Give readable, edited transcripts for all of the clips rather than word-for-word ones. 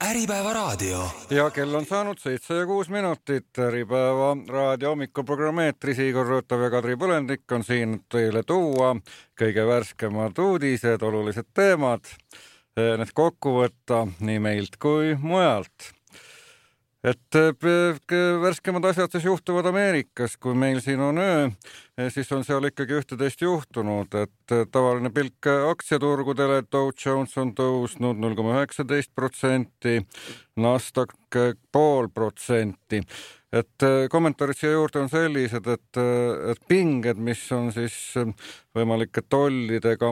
Äripäeva raadio. Ja kell on saanud 7:06. Äripäeva raadio hommikuprogrammi eetris. Igor Rõõtav ja Kadri Põlendik on siin teile tuua kõige värskemad uudised, olulised teemad, need kokku võtta nii meilt kui mujalt. Et värskemad asjad siis juhtuvad Ameerikas, kui meil siin on öö, siis on seal ikkagi ühte-teist juhtunud, et tavaline pilk aktsiaturgudele, Dow Jones on tõusnud 0,19%, Nasdaq 0,5%. Et kommentaarid siia juurde on sellised, et pinged, mis on siis võimalike tollidega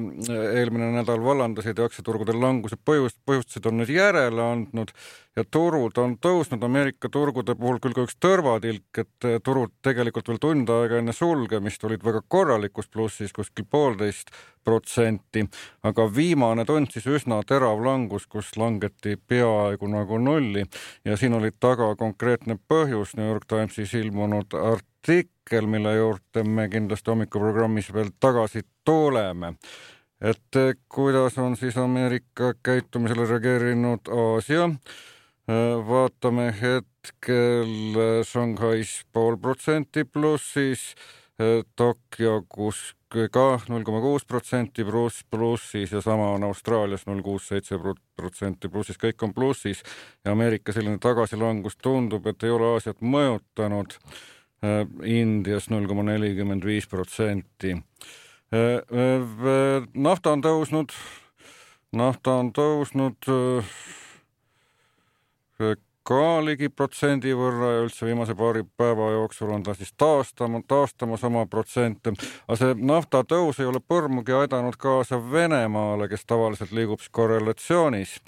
eelmine nädal vallandasid ja aktsiaturgudel languse põhjustasid, on nüüd järele andnud ja turud on tõusnud. Ameerika turgude puhul küll ka üks tõrvatilk, et turud tegelikult veel tund aega enne sulgemist olid väga korralikus plussis, kuskil 1,5%, aga viimane tund siis üsna terav langus, kus langeti peaaegu nagu nulli ja siin oli taga konkreetne põhjus, New York Timesis ilmunud artikkel, mille juurde me kindlasti hommikuprogrammis veel tagasi tuleme. Et kuidas on siis Ameerika käitumisele reageerinud Aasia? Vaatame hetkel Shanghais 0,5% plussis, Tokyo ka 0,6% plussis ja sama on Austraalias 0,67% plussis, kõik on plussis ja Ameerika selline tagasilangus tundub, et ei ole Aasiat mõjutanud. Indias 0,45%. Nafta on tõusnud ka ligi protsendi võrra ja üldse viimase paari päeva jooksul on ta siis taastama sama protsente. Aga see nafta tõus ei ole põrmugi aidanud kaasa Venemaale, kes tavaliselt liigub korrelatsioonis.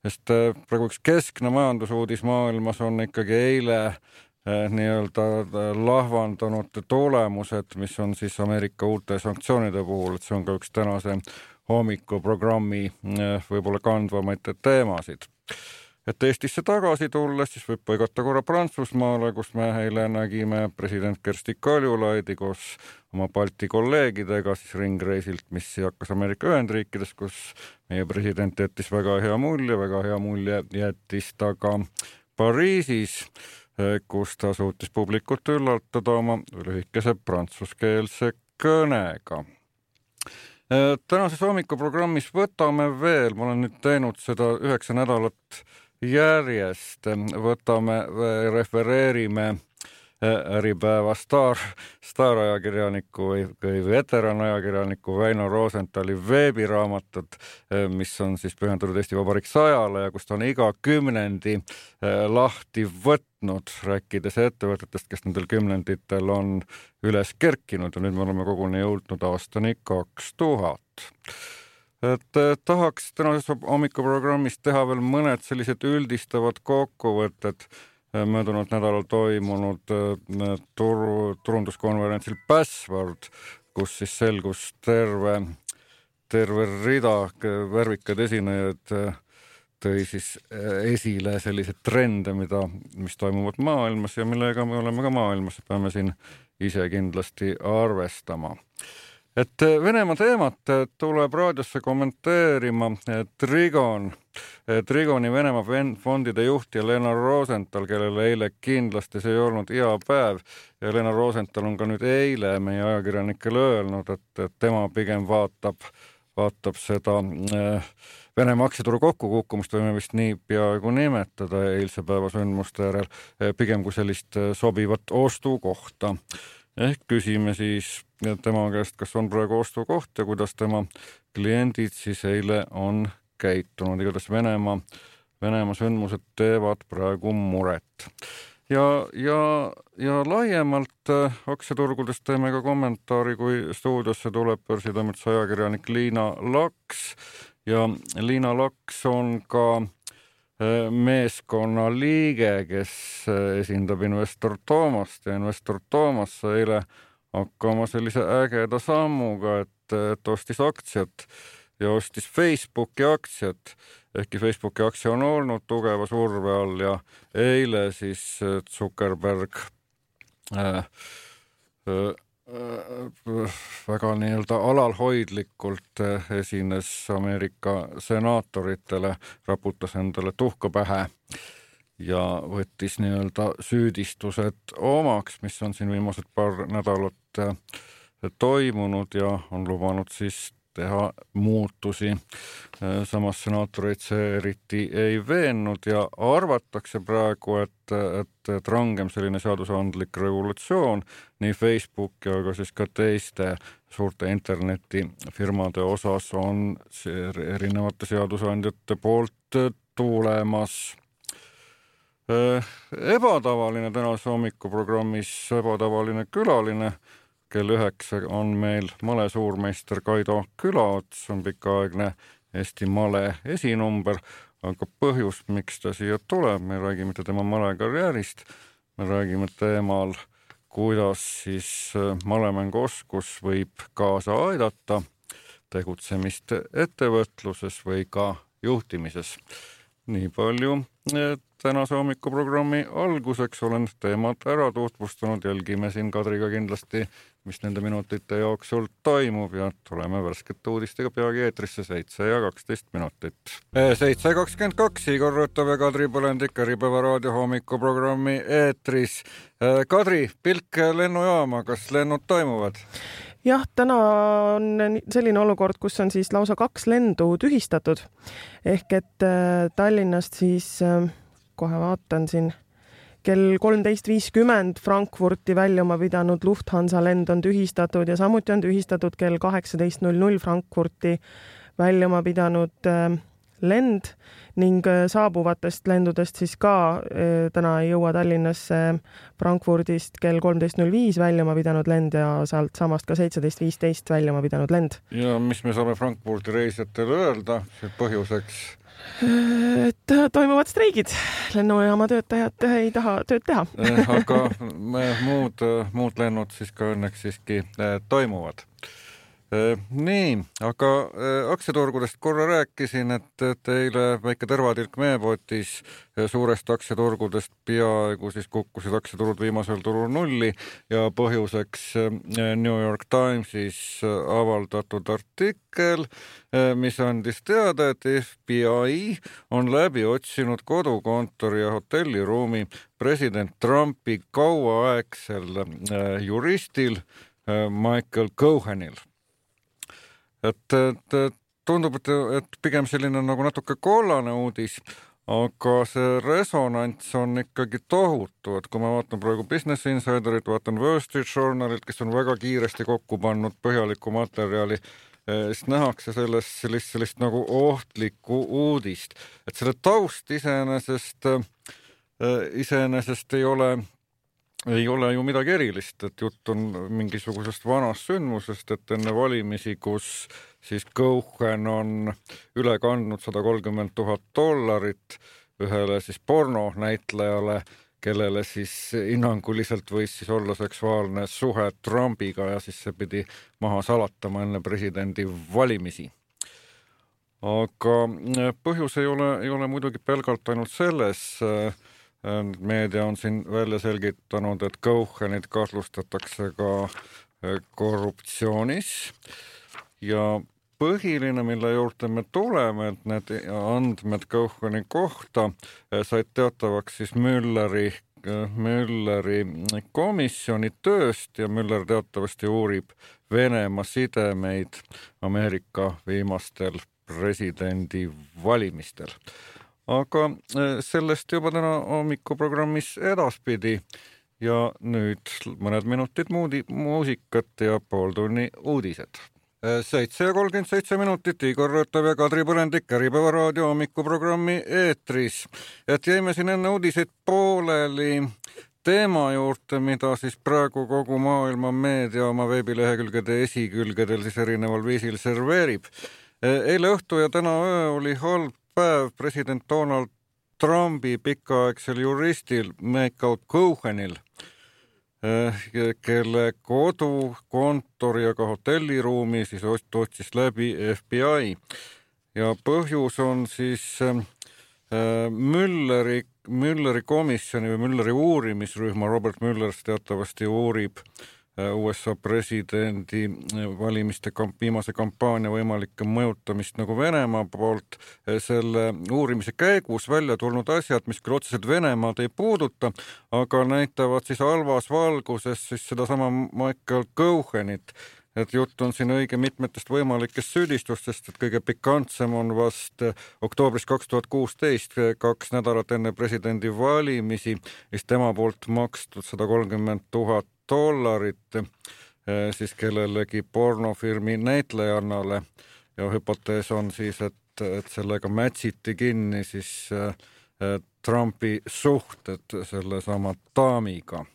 Sest praegu üks keskne majandusuudis maailmas on ikkagi eile nii-öelda lahvandanud tulemused, mis on siis Ameerika uute sanktsioonide puhul, et see on ka üks tänase hommikuprogrammi võib-olla kandvamaid teemasid. Et Eestisse tagasi tulles, siis võib põigata korra Prantsusmaale, kus me eile nägime president Kersti Kaljulaidi koos oma Balti kolleegidega siis ringreisilt, mis hakkas Ameerika Ühendriikides, kus meie president jättis väga hea mulje jättis ta ka Pariisis, kus ta suutis publikut üllatada oma lühikese prantsuskeelse kõnega. Tänases hommikuprogrammis võtame veel, ma olen nüüd teinud seda 9 nädalat järjest, refereerime Äripäeva staarajakirjaniku või veteranajakirjaniku Väino Rosenthali veebiraamatut, mis on siis pühendatud Eesti Vabariik 100-le ja kus ta on iga kümnendi lahti võtnud, rääkides ettevõtetest, kes nendel kümnenditel on üles kerkinud ja nüüd me oleme koguni jõudnud aastani 2000. Et tahaks tänases hommikuprogrammis teha veel mõned sellised üldistavad kokkuvõtted möödunud nädalal toimunud turunduskonverentsil Password, kus siis selgus terve rida värvikad esinejaid tõi siis esile sellised trende, mis toimuvad maailmas ja millega me oleme ka maailmas, peame siin ise kindlasti arvestama. Et Venemaa teemat tuleb raadiosse kommenteerima Trigoni Venemaa fondide juht Elena Rosenthal, kellele eile kindlasti see ei olnud hea päev ja Elena Rosenthal on ka nüüd eile meie ajakirjanikele öelnud, et tema pigem vaatab seda Venemaa aktsiaturu kokkukukkumist, võime vist nii peaaegu nimetada eilse päeva sündmuste järel, pigem kui sellist sobivat ostukohta. Ehk küsime siis tema käest, kas on praegu ostukoht ja kuidas tema kliendid siis eile on käitunud. Igatahes Venemaa sündmused teevad praegu muret. Ja laiemalt aktsiaturgudest teeme ka kommentaari, kui stuudiosse tuleb börsitoimetuse ajakirjanik Liina Laks ja Liina Laks on ka meeskonna liige, kes esindab Investor Toomast ja Investor Toomas sai eile hakkama sellise ägeda sammuga, et ostis aktsiat ja ostis Facebooki aktsiat, ehkki Facebooki aktsia on olnud tugeva surve all ja eile siis Zuckerberg väga nii-öelda alalhoidlikult esines Ameerika senaatoritele, raputas endale tuhka pähe ja võttis nii-öelda süüdistused omaks, mis on siin viimased paar nädalat toimunud ja on lubanud siis teha muutusi. Samas senaatoreid see eriti ei veennud ja arvatakse praegu, et rangem selline seadusandlik regulatsioon nii Facebook ja ka siis ka teiste suurte internetifirmade osas on erinevate seadusandjate poolt tulemas. Ebatavaline tänase hommikuprogrammis, ebatavaline külaline. Kell 9 on meil male suurmeister Kaido Külaots, on pikaaegne Eesti male esinumber, aga põhjus, miks ta siia tuleb, me räägime tema malekarjäärist, me räägime teemal, kuidas siis malemänguoskus võib kaasa aidata tegutsemist ettevõtluses või ka juhtimises. Nii palju tänase hommikuprogrammi alguseks olen teemad ära tutvustanud, jälgime siin Kadriga kindlasti, mis nende minutite jooksul toimub ja tuleme värskete uudistega peagi eetrisse 7:12 minutit. 7:22 Igor Rõtov ja Kadri Põlendik Äripäeva raadio hommikuprogrammi eetris. Kadri, pilk lennujaama, kas lennud toimuvad? Jah, täna on selline olukord, kus on siis lausa 2 lendu tühistatud. Ehk et Tallinnast siis, kohe vaatan siin, kell 13.50 Frankfurti väljuma pidanud Lufthansa lend on tühistatud ja samuti on tühistatud kell 18.00 Frankfurti väljuma pidanud lend ning saabuvatest lendudest siis ka täna ei jõua Tallinnasse Frankfurdist kell 13.05 väljuma pidanud lend ja sealt samast ka 17.15 väljuma pidanud lend. Ja mis me saame Frankfurti reisijatele öelda põhjuseks? Et toimuvad streigid. Lennujaama töötajad ei taha tööd teha. Aga muud lennud siis ka õnneks siiski toimuvad. Nii, aga aktsiaturgudest korra rääkisin, et eile väike tõrvatilk meepotis suurest aktsiaturgudest peaaegu siis kukkusid aktsiaturud viimasel turul nulli ja põhjuseks New York Timesis avaldatud artikkel, mis andis teada, et FBI on läbi otsinud kodukontori ja hotelliruumi president Trumpi kauaaegsel juristil Michael Cohenil. Et tundub, et pigem selline nagu natuke kollane uudis, aga see resonants on ikkagi tohutu, et kui ma vaatan praegu Business Insiderit, vaatan Wall Street Journalit, kes on väga kiiresti kokku pannud põhjalikku materjali, siis nähakse sellist nagu ohtlikku uudist. Et selle taust iseenesest ei ole ju midagi erilist, et jutt on mingisugusest vanast sündmusest, et enne valimisi, kus siis Cohen on üle kandnud $130,000 ühele siis pornonäitlejale, kellele siis hinnanguliselt võis siis olla seksuaalne suhe Trumpiga ja siis see pidi maha salatama enne presidendi valimisi. Aga põhjus ei ole muidugi pelgalt ainult selles. Meedia on siin välja selgitanud, et Cohenit kahtlustatakse ka korruptsioonis ja põhiline, mille juurde me tuleme, et need andmed Coheni kohta said teatavaks siis Mülleri komisjoni tööst ja Müller teatavasti uurib Venemaa sidemeid Ameerika viimastel presidendi valimistel. Aga sellest juba täna hommikuprogrammis edaspidi ja nüüd mõned minutid muusikat ja pooltunni uudised. 7:37 minutit, Igor Rõtov ja Kadri Põlendik Äripäeva raadio hommikuprogrammi eetris. Et jäime siin enne uudiseid pooleli teema juurde, mida siis praegu kogu maailma meedia oma veebilehekülgede esikülgedel siis erineval viisil serveerib. Eile õhtu ja täna öö oli halb päev president Donald Trumpi pikaaegsel juristil Michael Cohenil, kelle kodu, kontori ja ka hotelliruumi siis otsis läbi FBI. Ja põhjus on siis Mülleri komisjoni või Mülleri uurimisrühma, Robert Müller teatavasti uurib USA presidendi valimiste viimase kampaania võimalikke mõjutamist nagu Venemaa poolt. Selle uurimise käigus välja tulnud asjad, mis küll otseselt Venemaad ei puuduta, aga näitavad siis halvas valguses siis sedasama Michael Cohenit. Et jutt on siin õige mitmetest võimalikest süüdistustest, et kõige pikantsem on vast oktoobris 2016, 2 nädalat enne presidendi valimisi, mis tema poolt makstud $130,000 siis kellelegi pornofirmi näitlejannale ja hüpotees on siis, et sellega mätsiti kinni siis Trumpi suhted selle sama daamiga.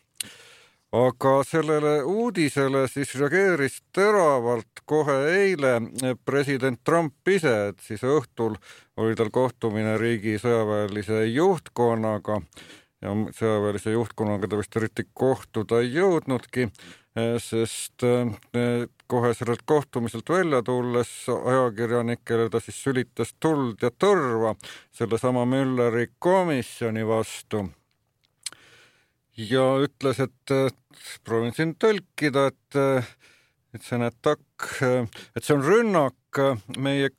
Aga sellele uudisele siis reageeris teravalt kohe eile president Trump ise, et siis õhtul oli tal kohtumine riigi sõjaväelise juhtkonnaga ja sõjaväelise juhtkonnaga ta vist eriti kohtuda ei jõudnudki, sest kohe sellelt kohtumiselt välja tulles ajakirjanikele ta siis sülitas tuld ja tõrva sellesama Mülleri komisjoni vastu. Ja ütles, et proovin siin tõlkida, et see on attack, et see on rünnak meie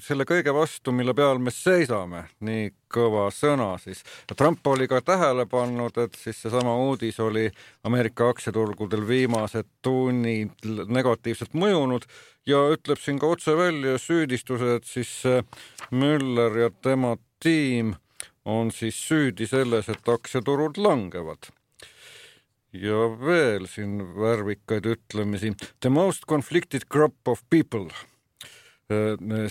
selle kõige vastu, mille peal me seisame. Nii kõva sõna siis. Trump oli ka tähele pannud, et siis seesama uudis oli Ameerika aktsiaturgudel viimased tunnid negatiivselt mõjunud ja ütleb siin ka otse välja süüdistuse, et siis Müller ja tema tiim on siis süüdi selles, et aktsiaturud langevad. Ja veel siin värvikaid ütlemisi. The most conflicted group of people.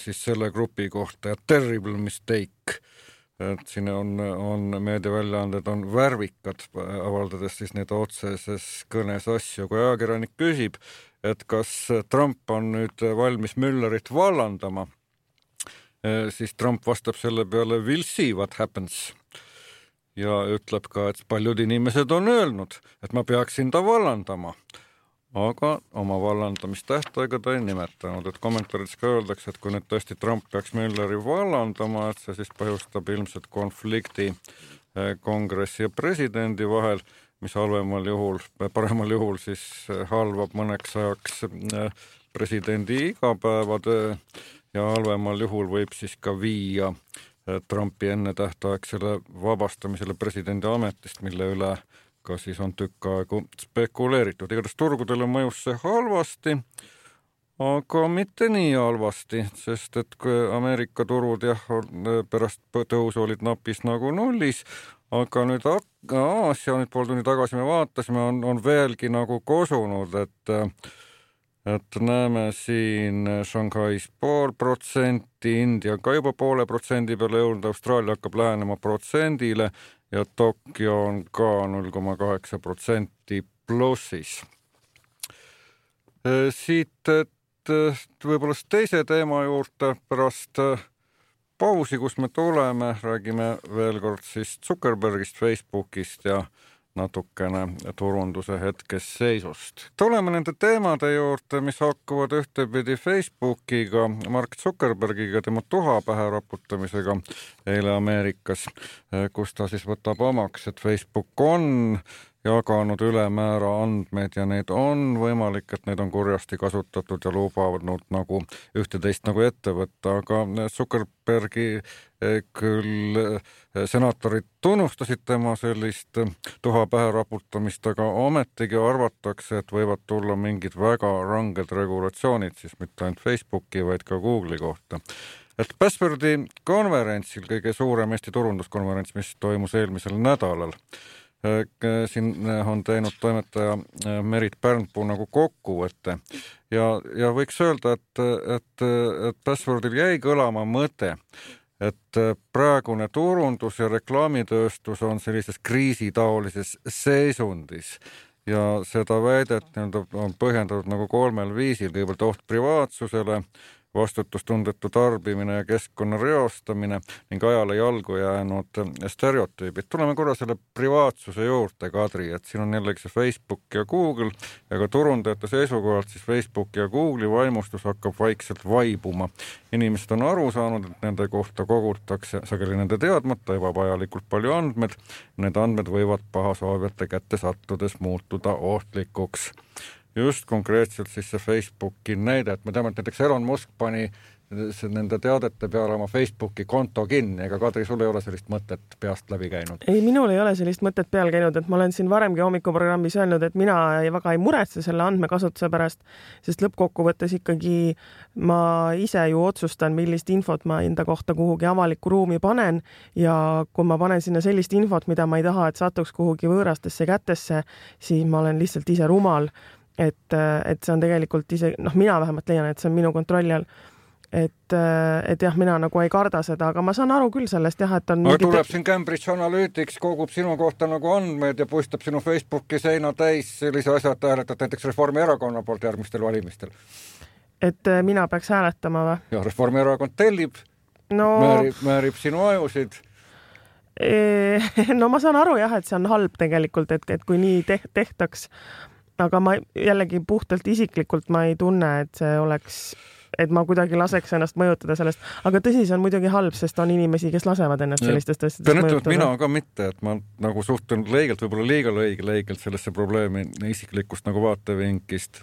Siis selle grupi kohta ja terrible mistake. Et siin on meediaväljaanded on värvikad, avaldades siis need otseses kõnes asju. Kui ajakirjanik küsib, et kas Trump on nüüd valmis Müllerit vallandama, siis Trump vastab selle peale we'll see what happens ja ütleb ka, et paljud inimesed on öelnud, et ma peaksin ta vallandama, aga oma vallandamistähtaega ta ei nimetanud, et kommentaarides ka öeldakse, et kui nüüd tõesti Trump peaks Mülleri vallandama, et see siis põhjustab ilmselt konflikti kongressi ja presidendi vahel, mis paremal juhul siis halvab mõneks ajaks presidendi igapäevatöö ja halvemal juhul võib siis ka viia Trumpi ennetähtaegsele vabastamisele presidendi ametist, mille üle ka siis on tükk aegu spekuleeritud. Igatahes turgudele mõjus see halvasti, aga mitte nii halvasti, sest et kui Ameerika turud pärast tõusu olid napis nagu nullis, aga nüüd Aasia pool tunni tagasi me vaatasime, on veelgi nagu kosunud, et näeme siin Shanghais 0,5%, India ka juba 0,5% peale jõudnud, Austraalia hakkab lähenema 1% ja Tokyo on ka 0,8% plussis. Siit, et võib-olla teise teema juurde pärast pausi, kus me tuleme, räägime veel kord siis Zuckerbergist, Facebookist ja natukene turunduse hetkes seisust. Tuleme nende teemade juurde, mis hakkavad ühtepidi Facebookiga, Mark Zuckerbergiga, tema tuha pähe raputamisega eile Ameerikas, kus ta siis võtab omaks, et Facebook on jaganud ülemäära andmeid ja neid on võimalik, et neid on kurjasti kasutatud ja lubavad nagu ühte-teist nagu ette võtta, aga Zuckerbergi küll senaatorid tunnustasid tema sellist tuha pähe raputamist, aga ometigi arvatakse, et võivad tulla mingid väga ranged regulatsioonid, siis mitte ainult Facebooki, vaid ka Google'i kohta. Et Passwordi konverentsil, kõige suurem Eesti turunduskonverents, mis toimus eelmisel nädalal, siin on teinud toimetaja Merit Pärnpuu nagu kokkuvõtte ja võiks öelda, et Passwordil jäi kõlama mõte, et praegune turundus ja reklaamitööstus on sellises kriisitaolises seisundis ja seda väidet on põhjendatud nagu 3 viisil, kõigepealt oht privaatsusele, vastutustundetu tarbimine ja keskkonna reostamine ning ajale jalgu jäänud stereotüübid. Tuleme korra selle privaatsuse juurde, Kadri, et siin on jällegi see Facebook ja Google ja ka turundajate seisukohalt siis Facebook ja Google'i vaimustus hakkab vaikselt vaibuma. Inimesed on aru saanud, et nende kohta kogutakse sageli nende teadmata ebavajalikult palju andmed. Need andmed võivad pahasoovijate kätte sattudes muutuda ohtlikuks. Just konkreetselt siis see Facebooki näide, et me teame, et näiteks Elon Musk pani nende teadete peale oma Facebooki konto kinni, ega Kadri, sul ei ole sellist mõtet peast läbi käinud? Ei, minul ei ole sellist mõtet peal käinud, et ma olen siin varemgi hommikuprogrammis öelnud, et mina väga ei muretse selle andmekasutuse pärast, sest lõppkokkuvõttes ikkagi ma ise ju otsustan, millist infot ma enda kohta kuhugi avalikku ruumi panen ja kui ma panen sinna sellist infot, mida ma ei taha, et satuks kuhugi võõrastesse kätesse, siis ma olen lihtsalt ise rumal, et see on tegelikult ise, mina vähemalt leian, et see on minu kontrolli all. Et jah, mina nagu ei karda seda, aga ma saan aru küll sellest jah, et on tuleb siin Cambridge Analytics, kogub sinu kohta nagu andmeid ja puistab sinu Facebooki seina täis sellise asja, et hääletad näiteks Reformierakonna poolt järgmistel valimistel. Et mina peaks hääletama või? Ja Reformierakond tellib, määrib sinu ajusid. No ma saan aru jah, et see on halb tegelikult, et kui nii tehtaks, aga ma jällegi puhtalt isiklikult ma ei tunne, et see oleks et ma kuidagi laseks ennast mõjutada sellest, aga tõsi, see on muidugi halb, sest on inimesi, kes lasevad ennast sellistest asjadest mõjutada. Mina ka mitte, et ma nagu suhtun leigelt, võib-olla liiga leigelt sellesse probleemi isiklikust nagu vaatevinklist,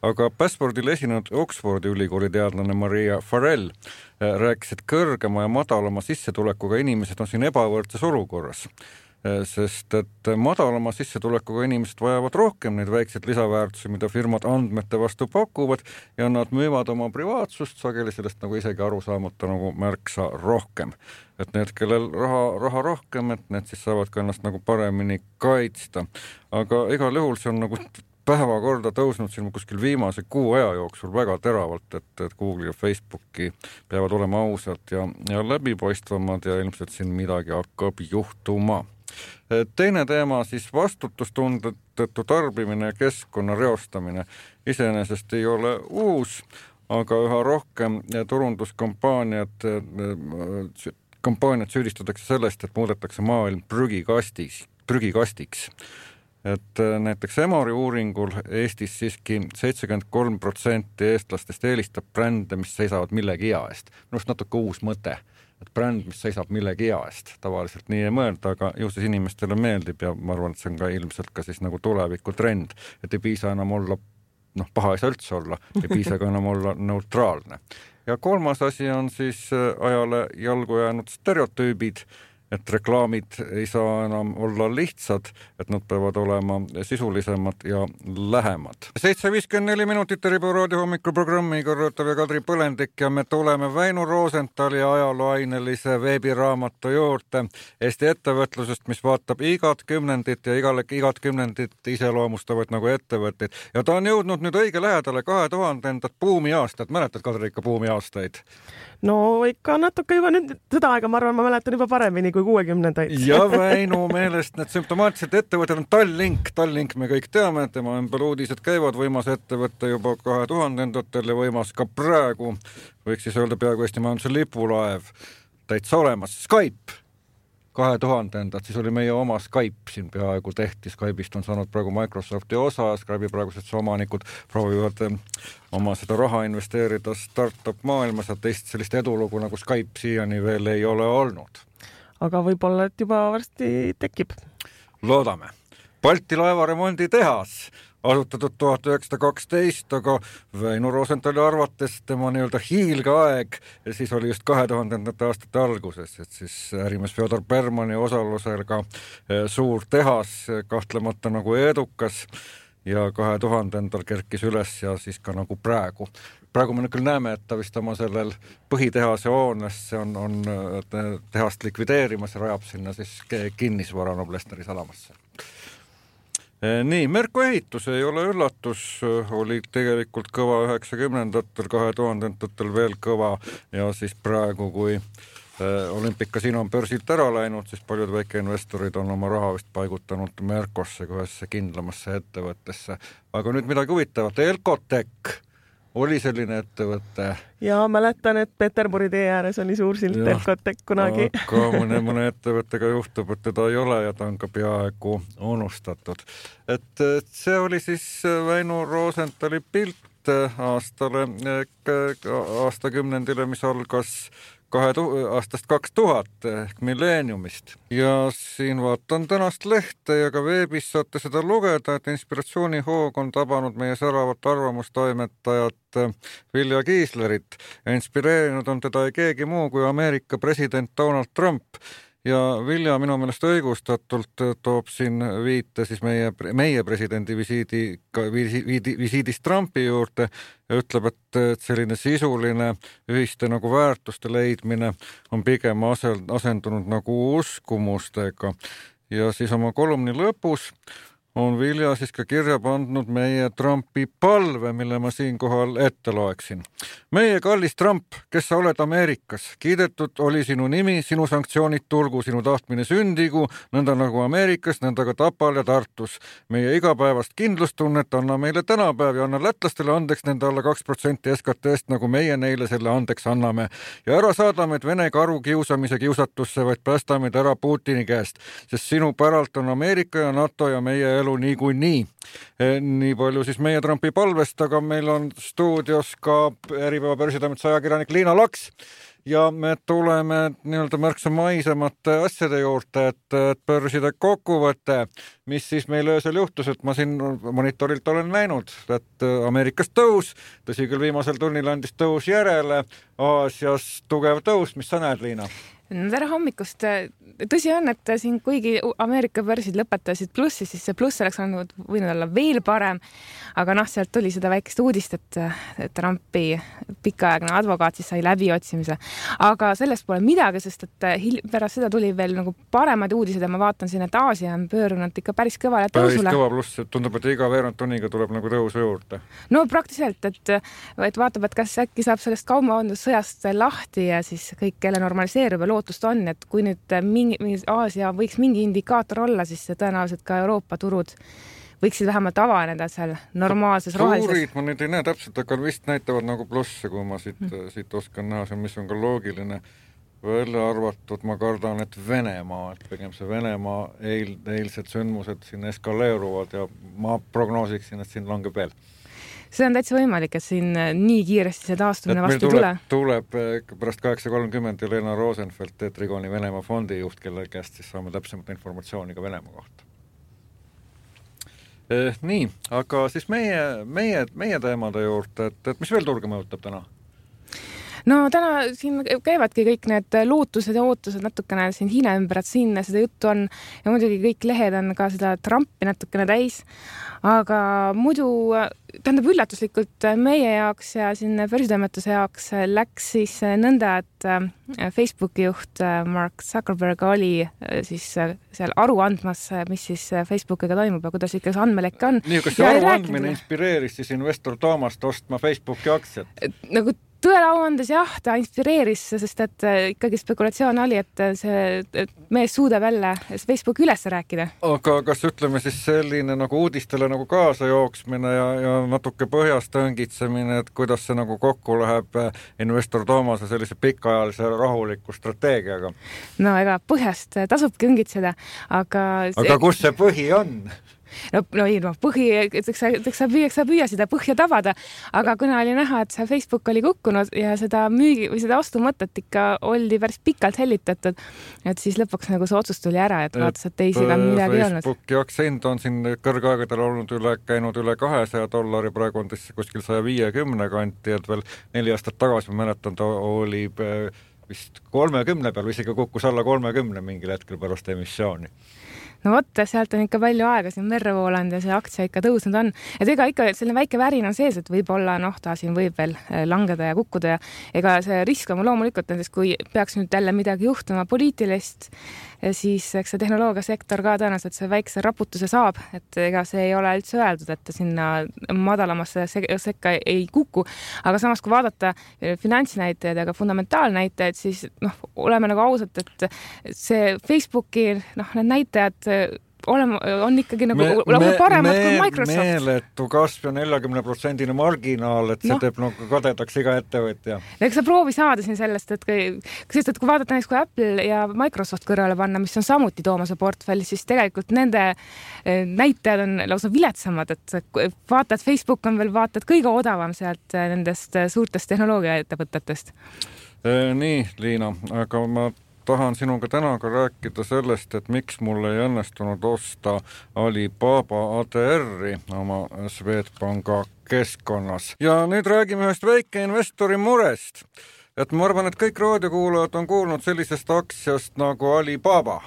aga Passpordil esinenud Oxfordi ülikooli teadlane Maria Farrell rääkis, et kõrgema ja madalama sissetulekuga inimesed on siin ebavõrdses olukorras. Sest et madalama sissetulekuga inimesed vajavad rohkem neid väikseid lisaväärtusi, mida firmad andmete vastu pakuvad ja nad müüvad oma privaatsust sageli sellest nagu isegi aru saamata nagu märksa rohkem. Et need, kellel raha rohkem, et need siis saavad ka ennast nagu paremini kaitsta. Aga igal juhul see on nagu päevakorda tõusnud siin kuskil viimase kuu aja jooksul väga teravalt, et Google ja Facebooki peavad olema ausad ja läbipaistvamad ja ilmselt siin midagi hakkab juhtuma. Teine teema siis vastutustundetu tarbimine ja keskkonna reostamine iseenesest ei ole uus, aga üha rohkem turunduskampaaniad süüdistatakse sellest, et muudetakse maailm prügikastiks. Et näiteks Emori uuringul Eestis siiski 73% eestlastest eelistab brände, mis seisavad millegi hea eest. Minust natuke uus mõte, et bränd, mis seisab millegi hea eest. Tavaliselt nii ei mõelda, aga ju siis inimestele meeldib ja ma arvan, et see on ka ilmselt ka siis nagu tuleviku trend, et ei piisa enam olla, paha ei saa üldse olla, ei piisa ka enam olla neutraalne. Ja kolmas asi on siis ajale jalgu jäänud stereotüübid, et reklaamid ei saa enam olla lihtsad, et nad peavad olema sisulisemad ja lähemad. 7:54 minutit Ribu raadio hommikuprogrammi korrutav ja Kadri Põlendik ja me tuleme Väino Rosenthali ajalooainelise veebiraamatu juurde Eesti ettevõtlusest, mis vaatab igat kümnendit ja igat kümnendit iseloomustavad nagu ettevõtteid. Ja ta on jõudnud nüüd õige lähedale 2000-ndat buumiaastat. Mäletad, Kadri, ikka buumiaastaid? No ikka natuke juba nüüd seda aega, ma arvan, ma mäletan juba paremini kui 60-ndaid. Ja Väinu meelest need sümptomaatilised ettevõtted on Tallink me kõik teame, et tema ümber uudised käivad, võimas ettevõtte juba 2000-ndatel ja võimas ka praegu, võiks siis öelda peaaegu Eesti majanduse lipulaev täitsa olemas. Skype 2000-ndad, siis oli meie oma Skype siin peaaegu tehti. Skype'ist on saanud praegu Microsofti osa, Skype'i praegused omanikud proovivad oma seda raha investeerida startup maailmas ja teist sellist edulugu nagu Skype siiani veel ei ole olnud. Aga võib-olla, et juba varsti tekib. Loodame. Balti laevaremondi tehas asutatud 1912, aga Väino Rosenthali arvates tema nii-öelda hiilgeaeg ja siis oli just 2000-ndate aastate alguses, et siis ärimees Fjodor Bermani osalusega suur tehas kahtlemata nagu edukas ja 2000-ndal kerkis üles ja siis ka nagu praegu. Praegu me küll näeme, et ta vist oma sellel põhitehase hoones on tehast likvideerimas ja rajab sinna siis kinnisvara Noblessneri sadamasse. Nii, Merko ehitus ei ole üllatus, oli tegelikult kõva 90-ndatel, 2000-ndatel veel kõva ja siis praegu, kui Olympic-Casino on börsilt ära läinud, siis paljud väikeinvestorid on oma raha vist paigutanud Merkosse, kohesse kindlamasse ettevõttesse. Aga nüüd midagi huvitavat, Elkotech oli selline ettevõte. Ja mäletan, et Peterburi tee ääres oli suur silt Elkotech kunagi. Aga mõne ettevõttega juhtub, et teda ei ole ja ta on ka peaaegu unustatud. Et see oli siis Väino Roosenthali pilt aastakümnendile, mis algas aastast 2000 ehk milleeniumist. Ja siin vaatan tänast lehte ja ka veebis saate seda lugeda, et inspiratsioonihoog on tabanud meie säravat arvamustoimetajat Vilja Kiislerit ja inspireerinud on teda ei keegi muu kui Ameerika president Donald Trump. Ja Vilja minu meelest õigustatult toob siin viite siis meie presidendi visiidist Trumpi juurde ja ütleb, et selline sisuline ühiste nagu väärtuste leidmine on pigem asendunud nagu uskumustega. Ja siis oma kolumni lõpus on Vilja siis ka kirja pandud meie Trumpi palve, mille ma siinkohal ette loeksin. Meie kallis Trump, kes sa oled Ameerikas, kiidetud oli sinu nimi, sinu sanktsioonid tulgu, sinu tahtmine sündigu, nõnda nagu Ameerikas, nõnda ka Tapal ja Tartus. Meie igapäevast kindlustunnet anna meile tänapäev ja anna lätlastele andeks nende alla 2% SKT-st, nagu meie neile selle andeks anname. Ja ära saadame, et Vene karu kiusamise kiusatusse, vaid päästame ära Putini käest, sest sinu päralt on Ameerika ja NATO ja meie elu niikuinii. Nii palju siis meie Trumpi palvest, aga meil on stuudios ka Äripäeva börsitoimetuse ajakirjanik Liina Laks ja me tuleme nii-öelda märksa maisemate asjade juurde, et börside kokkuvõte, mis siis meil öösel juhtus, et ma siin monitorilt olen näinud, et Ameerikas tõus, tõsi küll viimasel tunnil andis tõus järele, Aasias tugev tõus, mis sa näed, Liina? Tere hommikust. Tõsi on, et siin kuigi Ameerika börsid lõpetasid plussi, siis see pluss oleks võinud olla veel parem, aga sealt tuli seda väikest uudist, et Trumpi pikaaegne advokaat siis sai läbiotsimise. Aga sellest pole midagi, sest et pärast seda tuli veel nagu paremad uudised ja ma vaatan siin, et Aasia on pöörunud ikka päris kõvale tõusule. Päris kõva pluss, et tundub, et iga veerand tunniga tuleb nagu tõusu juurde. No praktiliselt, et vaatab, et kas äkki saab sellest kaubandusõjast lahti ja siis kõik jälle normaliseerub ja lootust on, et kui nüüd Aasia võiks mingi indikaator olla, siis tõenäoliselt ka Euroopa turud võiksid vähemalt avaneda seal normaalses rohelises. Tuurid ma nüüd ei näe täpselt, aga vist näitavad nagu plusse, kui ma siit oskan näha, mis on ka loogiline. Välja arvatud, ma kardan, et Venemaa, et pigem see Venemaa eilsed sündmused siin eskaleeruvad ja ma prognoosiksin, et siin langeb veel. See on täitsa võimalik, et siin nii kiiresti see taastumine vastu tule. Tuleb pärast 8.30 Jelena Rosenfeld, Tetrigoni Venemaa fondi juht, kelle käest siis saame täpsemat informatsiooni ka Venemaa kohta. Nii, aga siis meie teemade juurde, et mis veel turge mõjutab täna? No täna siin käivadki kõik need lootused ja ootused natukene siin Hiina ümber, et siin seda juttu on ja muidugi kõik lehed on ka seda Trumpi natukene täis, aga muidu tähendab üllatuslikult meie jaoks ja siin börsitoimetuse jaoks läks siis nõnda, et Facebooki juht Mark Zuckerberg oli siis seal aru andmas, mis siis Facebookiga toimub ja kuidas ikka see andmelekk on. Nii, kas see aru andmine inspireeris siis investor Toomast ostma Facebooki aktsiat? Nagu tõele au andes jah, ta inspireeris, sest et ikkagi spekulatsioon oli, et see mees suudab jälle Facebooki üles rääkida. Aga kas ütleme siis selline nagu uudistele nagu kaasa jooksmine ja natuke põhjast õngitsemine, et kuidas see nagu kokku läheb investor Toomase sellise pikaajalise rahuliku strateegiaga? No ega põhjast tasubki õngitseda, aga kus see põhi on? Põhi, eks sa püüa seda põhja tabada, aga kuna oli näha, et see Facebook oli kukkunud ja seda müügi või seda ostumõtet ikka oldi päris pikalt hellitatud, et siis lõpuks nagu see otsus tuli ära, et vaatas, et teisiga midagi ei olnud. Facebooki aktsiahind on siin kõrgaegadel olnud käinud üle $200, praegu on kuskil 150 kanti, et veel 4 aastat tagasi ma mäletan, ta oli vist 30 peal, isegi kukkus alla 30 mingil hetkel pärast emissiooni. No vot, sealt on ikka palju aega siin merre voolanud ja see aktsia ikka tõusnud on. Et ega ikka selline väike värin on sees, et võib-olla ta siin võib veel langeda ja kukkuda ja ega see risk on loomulikult nendest, kui peaks nüüd jälle midagi juhtuma poliitilist, siis eks see tehnoloogiasektor ka tõenäoliselt see väikse raputuse saab, et ega see ei ole üldse öeldud, et sinna madalamasse sekka ei kuku, aga samas kui vaadata finantsnäitajaid ja ka fundamentaalnäitajaid, siis oleme nagu ausad, et see Facebooki need näitajad on ikkagi nagu paremad kui Microsoft. Meeletu kasv ja 40% marginaal, et see teeb nagu kadedaks iga ettevõtja. Eks sa proovi saada siin sellest, et kui vaadata näiteks kui Apple ja Microsoft kõrvale panna, mis on samuti Toomase portfellis, siis tegelikult nende näitajad on lausa viletsamad, et vaatad Facebook on veel kõige odavam sealt nendest suurtest tehnoloogiaettevõtetest. Nii, Liina, aga ma tahan sinuga täna ka rääkida sellest, et miks mul ei õnnestunud osta Alibaba ADR-i oma Swedbanka keskkonnas. Ja nüüd räägime ühest väikeinvestori murest. Et ma arvan, et kõik raadiokuulajad on kuulnud sellisest aktsiast nagu Alibaba.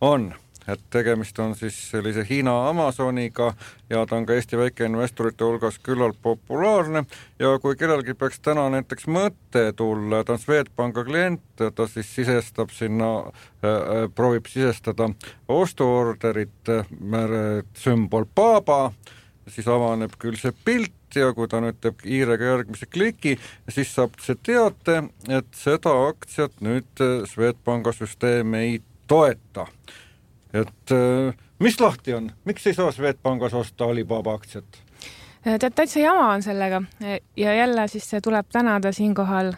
On. Et tegemist on siis sellise Hiina Amazoniga ja ta on ka Eesti väikeinvestorite hulgas küllalt populaarne ja kui kellelgi peaks täna näiteks mõte tulla, ta on Swedbanka klient, ta siis sisestab sinna, proovib sisestada ostuorderit, sümbol Baba, siis avaneb küll see pilt ja kui ta nüüd teeb kiirega järgmise kliki, siis saab see teate, et seda aktsiat nüüd Swedbanka süsteem ei toeta. Et mis lahti on? Miks ei saa Swedbankas osta Alibaba aktsiat? Täitsa jama on sellega ja jälle siis tuleb tänada siinkohal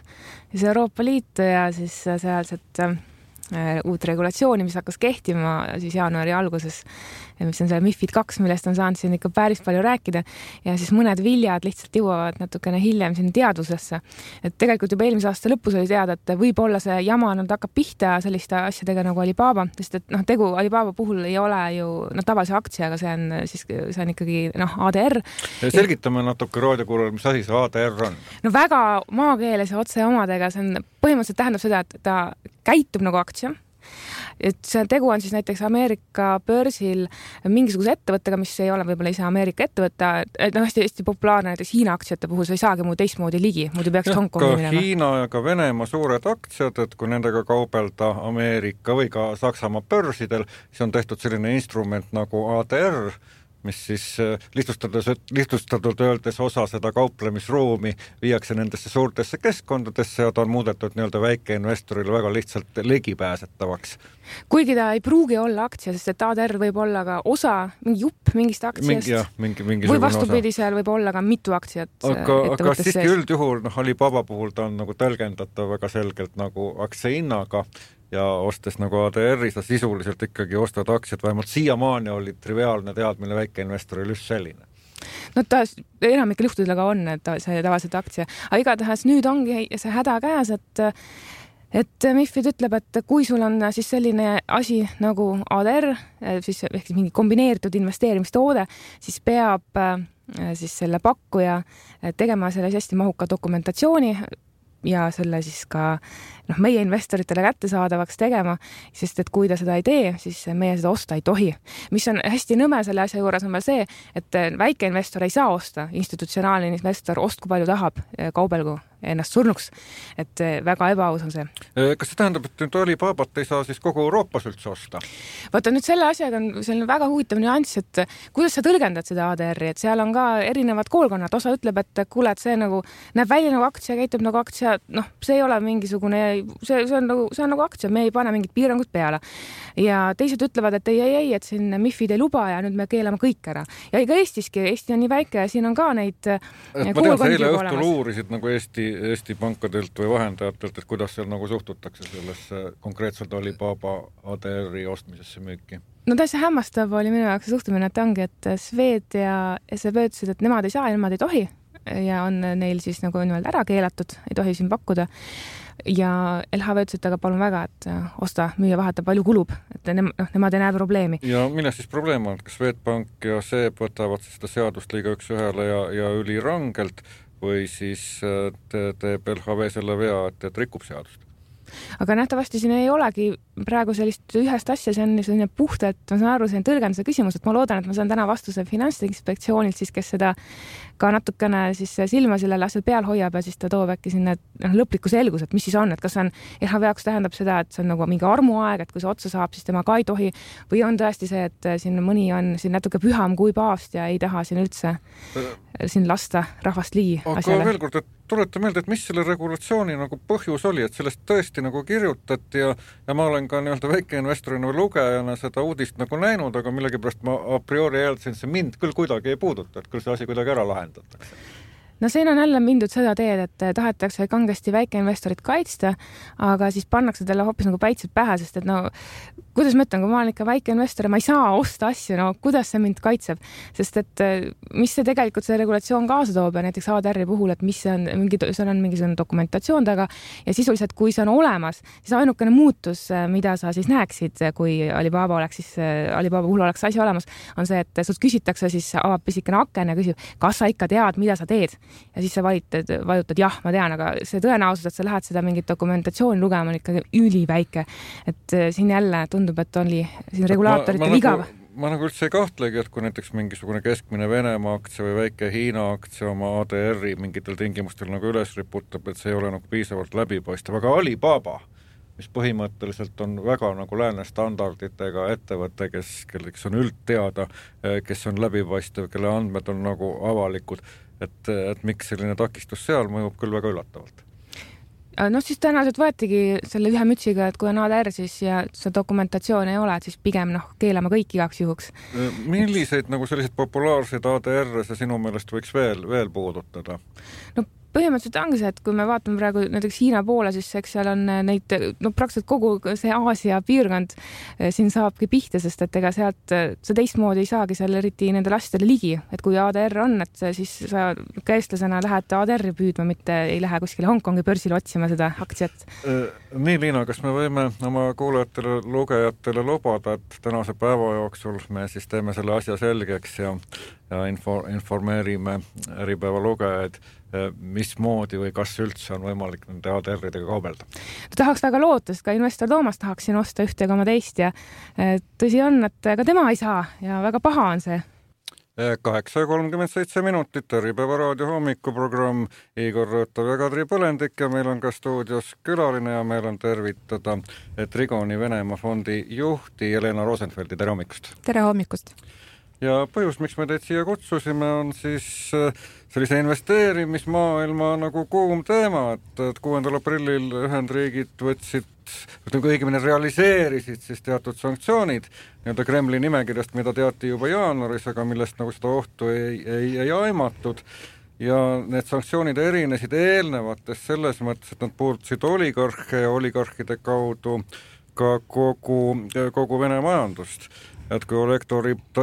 siis Euroopa Liitu ja siis sealset uut regulatsiooni, mis hakkas kehtima siis jaanuari alguses, mis on see MiFID 2, millest on saanud siin ikka päris palju rääkida ja siis mõned viljad lihtsalt jõuavad natukene hiljem siin teadusesse. Et tegelikult juba eelmise aasta lõpus oli teada, et võib-olla see jama nüüd hakkab pihta selliste asjadega nagu Alibaba, sest et tegu Alibaba puhul ei ole ju tavalise aktsiaga, see on ikkagi ADR. Selgitame natuke raadiokuulajale, mis asi see ADR on? No väga maakeeles ja otse omadega, see on põhimõtteliselt tähendab seda, et ta käitub nagu aktsia. Et see tegu on siis näiteks Ameerika börsil mingisuguse ettevõttega, mis ei ole võib-olla ise Ameerika ettevõtte, hästi populaarne näiteks Hiina aktsiate puhul, sa ei saagi muu teistmoodi ligi, muidu peaks Hongkongi minema. Ka Hiina ja ka Venemaa suured aktsiad, et kui nendega kaubelda Ameerika või ka Saksamaa börsidel, siis on tehtud selline instrument nagu ADR, mis siis lihtsustatult öeldes osa seda kauplemisruumi viiakse nendesse suurtesse keskkondadesse ja ta on muudetud nii-öelda väikeinvestorile väga lihtsalt ligipääsetavaks. Kuigi ta ei pruugi olla aktsia, sest et ADR võib olla ka osa, mingi jupp mingist aktsiast või vastupidi, seal võib olla ka mitu aktsiat. Aga siiski üldjuhul Alibaba puhul ta on nagu tõlgendatav väga selgelt nagu aktsia hinnaga ja ostes nagu ADR-i, sa sisuliselt ikkagi ostad aktsiat, vähemalt siiamaani oli triviaalne teadmine väikeinvestoril just selline. No ta enamikel juhtudel aga on, et see tavaliselt aktsia. Aga igatahes nüüd ongi see häda käes, et MiFID ütleb, et kui sul on siis selline asi nagu ADR, siis ehk mingi kombineeritud investeerimistoode, siis peab siis selle pakkuja tegema selle hästi mahuka dokumentatsiooni ja selle siis ka meie investoritele kättesaadavaks tegema, sest et kui ta seda ei tee, siis meie seda osta ei tohi. Mis on hästi nõme selle asja juures on veel see, et väikeinvestor ei saa osta, institutsionaalne investor ostku palju tahab, kaubelgu ennast surnuks, et väga ebaaus on see. Kas see tähendab, et nüüd Alibabat ei saa siis kogu Euroopas üldse osta? Vaata nüüd selle asjaga on selline väga huvitav nüanss, et kuidas sa tõlgendad seda ADR-i, et seal on ka erinevad koolkonnad, osa ütleb, et kuule, et see nagu näeb välja nagu aktsia, käitub nagu aktsia, see ei ole mingisugune, see on nagu aktsia, me ei pane mingit piirangut peale. Ja teised ütlevad, et ei, et siin MiFID ei luba ja nüüd me keelame kõik ära. Ja ega Eesti on nii väike ja siin on ka neid ma tean, sa eile õhtul uurisid nagu Eesti pankadelt või vahendajatelt, et kuidas seal nagu suhtutakse sellesse konkreetselt Alibaba ADR-i ostmisesse müüki? No täiesti hämmastav oli minu jaoks suhtumine, et ongi, et Swed ja SEB ütlesid, et nemad ei saa ja nemad ei tohi ja on neil siis nagu ära keelatud, ei tohi siin pakkuda. Ja LHV ütles, et aga palun väga, et osta, müüa, vaheta, palju kulub, et nemad ei näe probleemi. Ja milles siis probleem on? Kas Swedbank ja SEB võtavad seda seadust liiga üks ühele ja ülirangelt või siis teeb LHV selle vea, et rikub seadust? Aga nähtavasti siin ei olegi praegu sellist ühest asja, see on selline puhtalt, ma saan aru, see on tõlgenduse küsimus, et ma loodan, et ma saan täna vastuse Finantsinspektsioonilt siis, kes seda ka natukene siis silma sellele asjal peal hoiab ja siis ta toob äkki sinna lõpliku selgus, et mis siis on, et kas on LHV jaoks tähendab seda, et see on nagu mingi armuaeg, et kui see otsa saab, siis tema ka ei tohi või on tõesti see, et siin mõni on siin natuke püham kui paavst ja ei taha siin üldse siin lasta rahvast ligi asjale. Aga veel kord, et tuleta meelde, et mis selle regulatsiooni nagu põhjus oli, et sellest tõesti nagu kirjutati ja ma olen ka nii-öelda väikeinvestorina või lugejana seda uudist nagu näinud, aga millegipärast ma a priori eeldasin, see mind küll kuidagi ei puuduta, et küll see asi kuidagi ära lahendatakse. No siin on jälle mindud seda teed, et tahetakse kangesti väikeinvestorit kaitsta, aga siis pannakse talle hoopis nagu päitsed pähe, sest et no kuidas ma ütlen, kui ma olen ikka väikeinvestor ja ma ei saa osta asju, no kuidas see mind kaitseb, sest et mis see tegelikult see regulatsioon kaasa toob ja näiteks ADR-i puhul, et mis see on, seal on mingisugune dokumentatsioon taga ja sisuliselt, kui see on olemas, siis ainukene muutus, mida sa siis näeksid, kui Alibaba puhul oleks asi olemas, on see, et sult küsitakse, siis avab pisikene aken ja küsib, kas sa ikka tead, mida sa teed ja siis sa vajutad jah, ma tean, aga see tõenäosus, et sa lähed seda mingit dokumentatsiooni lugema, on ikkagi üliväike, et siin jälle tundub, et oli siin regulaatorite viga. Ma nagu üldse ei kahtlegi, et kui näiteks mingisugune keskmine Venemaa aktsia või väike Hiina aktsia oma ADR-i mingitel tingimustel nagu üles riputab, et see ei ole nagu piisavalt läbipaistev, aga Alibaba, mis põhimõtteliselt on väga nagu lääne standarditega ettevõte, kes on üldteada, kes on läbipaistev, kelle andmed on nagu avalikud, et miks selline takistus seal mõjub küll väga üllatavalt. No siis tõenäoliselt võetigi selle ühe mütsiga, et kui on ADR siis ja see dokumentatsioon ei ole, et siis pigem keelame kõik igaks juhuks. Milliseid nagu selliseid populaarseid ADR-e see sinu meelest võiks veel puudutada? No põhimõtteliselt ongi see, et kui me vaatame praegu näiteks Hiina poole, siis eks seal on neid, praktiliselt kogu see Aasia piirkond siin saabki pihta, sest et ega sealt see teistmoodi ei saagi seal eriti nendele asjadele ligi, et kui ADR on, et siis sa käestlasena lähed ADR-i püüdma, mitte ei lähe kuskile Hongkongi börsile otsima seda aktsiat. Nii, Liina, kas me võime oma kuulajatele, lugejatele lubada, et tänase päeva jooksul me siis teeme selle asja selgeks ja informeerime Äripäeva lugejaid, mismoodi või kas üldse on võimalik nende ADR-idega kaubelda? Tahaks väga loota, sest ka investor Toomas tahaks siin osta ühte ega teist ja tõsi on, et ka tema ei saa ja väga paha on see. 8:37 minutit, Äripäeva raadio hommikuprogramm, Igor Rõõtav ja Kadri Põlendik ja meil on ka stuudios külaline ja meil on tervitada Trigoni Venemaa fondi juhti Jelena Rosenfeldi. Tere hommikust! Tere hommikust! Ja põhjus, miks me teid siia kutsusime, on siis sellise investeerimismaailma nagu kuum teema, et 6. aprillil Ühendriigid võtsid, õigemini realiseerisid siis teatud sanktsioonid nii-öelda Kremli nimekirjast, mida teati juba jaanuaris, aga millest nagu seda ohtu ei aimatud. Ja need sanktsioonid erinesid eelnevatest selles mõttes, et nad puudutasid oligarhe ja oligarhide kaudu ka kogu Vene majandust. Et kui Oleg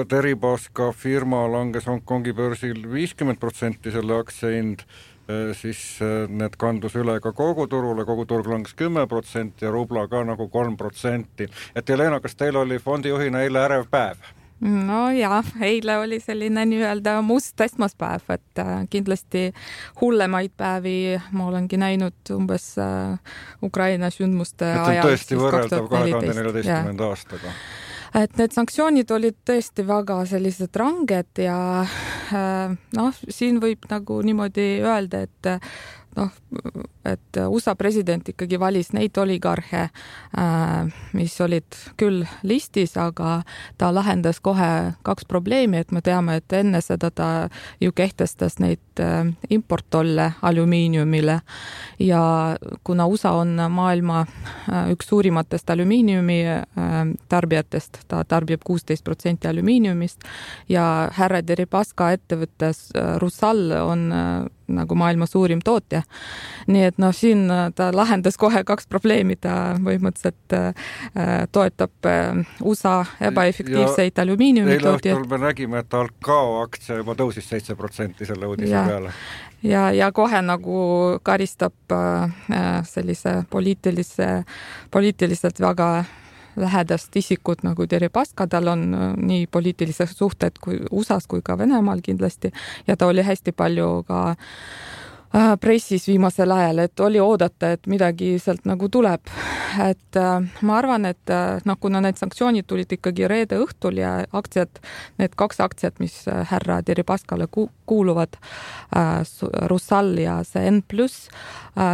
Deripaska firma langes Hongkongi börsil 50% selle aktsiahind, siis need kandus üle ka kogu turg langes 10% ja rubla ka nagu 3%. Et Jelena, kas teil oli fondijuhina eile ärev päev? No ja, eile oli selline nii-öelda must esmaspäev, et kindlasti hullemaid päevi ma olengi näinud umbes Ukraina sündmuste ajal. Et on tõesti võrreldav 2014. aastaga. Et need sanktsioonid olid tõesti väga sellised ranged ja siin võib nagu niimoodi öelda, et USA president ikkagi valis neid oligarhe, mis olid küll listis, aga ta lahendas kohe 2 probleemi, et me teame, et enne seda ta ju kehtestas neid importtolle alümiiniumile ja kuna USA on maailma üks suurimatest alümiiniumi tarbijatest, ta tarbib 16% alümiiniumist ja härra Deripaska ettevõttes Rusal on nagu maailma suurim tootja. Nii et siin ta lahendas kohe 2 probleemi, ta põhimõtteliselt toetab USA ebaefektiivseid alümiiniumi tootjaid. Eile õhtul me nägime, et Alcao aktsia juba tõusis 7% selle uudise peale. Ja kohe nagu karistab sellise poliitiliselt väga lähedast isikut nagu Deripaska, tal on nii poliitilised suhted kui USAs kui ka Venemaal kindlasti ja ta oli hästi palju ka pressis viimasel ajal, et oli oodata, et midagi sealt nagu tuleb. Et ma arvan, et kuna need sanktsioonid tulid ikkagi reede õhtul ja aktsiad, need 2 aktsiat, mis härra Deripaskale kuuluvad, Rusal ja see N+,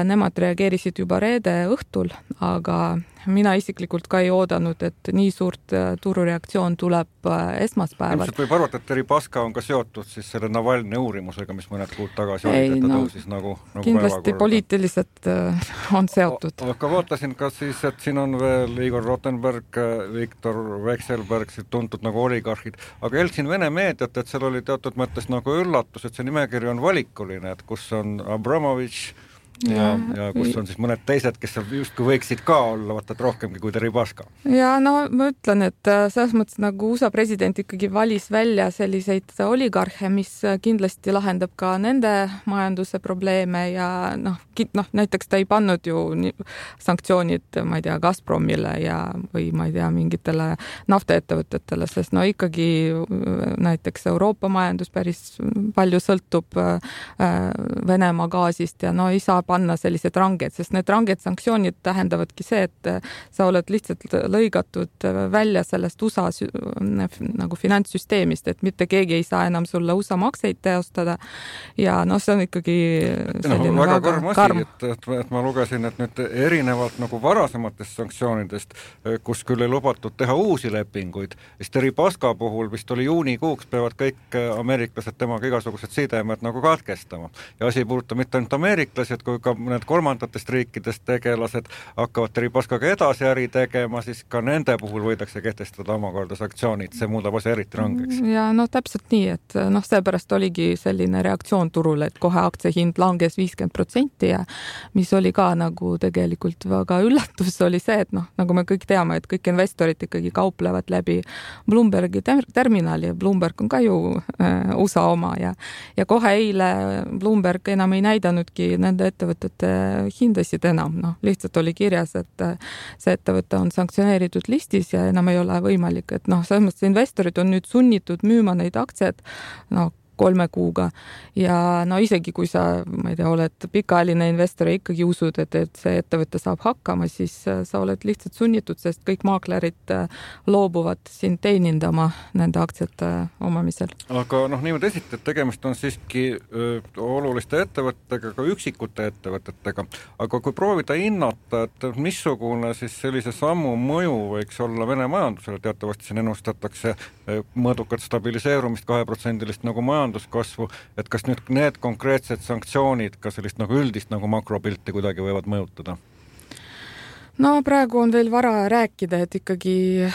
nemad reageerisid juba reede õhtul, aga mina isiklikult ka ei oodanud, et nii suurt turureaktsioon tuleb esmaspäeval. Ilmselt võib arvata, et Deripaska on ka seotud siis selle Navalny uurimusega, mis mõned kuud tagasi oli, et ta tõusis nagu kindlasti poliitiliselt on seotud. Aga vaatasin ka siis, et siin on veel Igor Rotenberg, Viktor Vekselberg, tuntud nagu oligarhid, aga jälgsin Vene meediat, et seal oli teatud mõttes nagu üllatus, et see nimekiri on valikuline, et kus on Abramovitš ja kus on siis mõned teised, kes justkui võiksid ka olla, vaata, et rohkemgi kui Deripaska. Ja no ma ütlen, et selles mõttes nagu USA president ikkagi valis välja selliseid oligarhe, mis kindlasti lahendab ka nende majanduse probleeme ja näiteks ta ei pannud ju sanktsioonid, ma ei tea, Gazpromile või ma ei tea, mingitele naftaettevõtetele, sest ikkagi näiteks Euroopa majandus päris palju sõltub Venemaa gaasist ja ei saa panna sellised ranged, sest need ranged sanktsioonid tähendavadki see, et sa oled lihtsalt lõigatud välja sellest USA nagu finantssüsteemist, et mitte keegi ei saa enam sulle USA makseid teostada ja see on ikkagi selline väga karm asi, et ma lugesin, et nüüd erinevalt nagu varasematest sanktsioonidest, kus küll ei lubatud teha uusi lepinguid, siis Deripaska puhul vist oli juunikuuks peavad kõik ameeriklased temaga igasugused sidemed nagu katkestama. Ja asi ei puuduta mitte ainult ameeriklased, kui ka mõned kolmandatest riikidest tegelased hakkavad Deripaskaga edasi äri tegema, siis ka nende puhul võidakse kehtestada omakorda sanktsioonid, see muudab asja eriti rangeks. Ja täpselt nii, et seepärast oligi selline reaktsioon turule, et kohe aktsiahind langes 50% ja mis oli ka nagu tegelikult väga üllatus oli see, et nagu me kõik teame, et kõik investorid ikkagi kauplevad läbi Bloombergi terminali ja Bloomberg on ka ju USA oma ja kohe eile Bloomberg enam ei näidanudki nende ettevõtete hindasid enam. Lihtsalt oli kirjas, et see ettevõte on sanktsioneeritud listis ja enam ei ole võimalik, et selles mõttes investorid on nüüd sunnitud müüma neid aktsiaid 3 kuuga ja isegi kui sa, ma ei tea, oled pikaajaline investor ja ikkagi usud, et see ettevõte saab hakkama, siis sa oled lihtsalt sunnitud, sest kõik maaklerid loobuvad sind teenindama nende aktsiate omamisel. Aga niimoodi esitad, tegemist on siiski oluliste ettevõttega, ka üksikute ettevõtetega, aga kui proovida hinnata, et missugune siis sellise sammu mõju võiks olla Vene majandusele, teatavasti siin ennustatakse mõõdukat stabiliseerumist 2% nagu majanduskasvu, et kas nüüd need konkreetsed sanktsioonid ka sellist nagu üldist nagu makropilti kuidagi võivad mõjutada? Praegu on veel vara rääkida, et ikkagi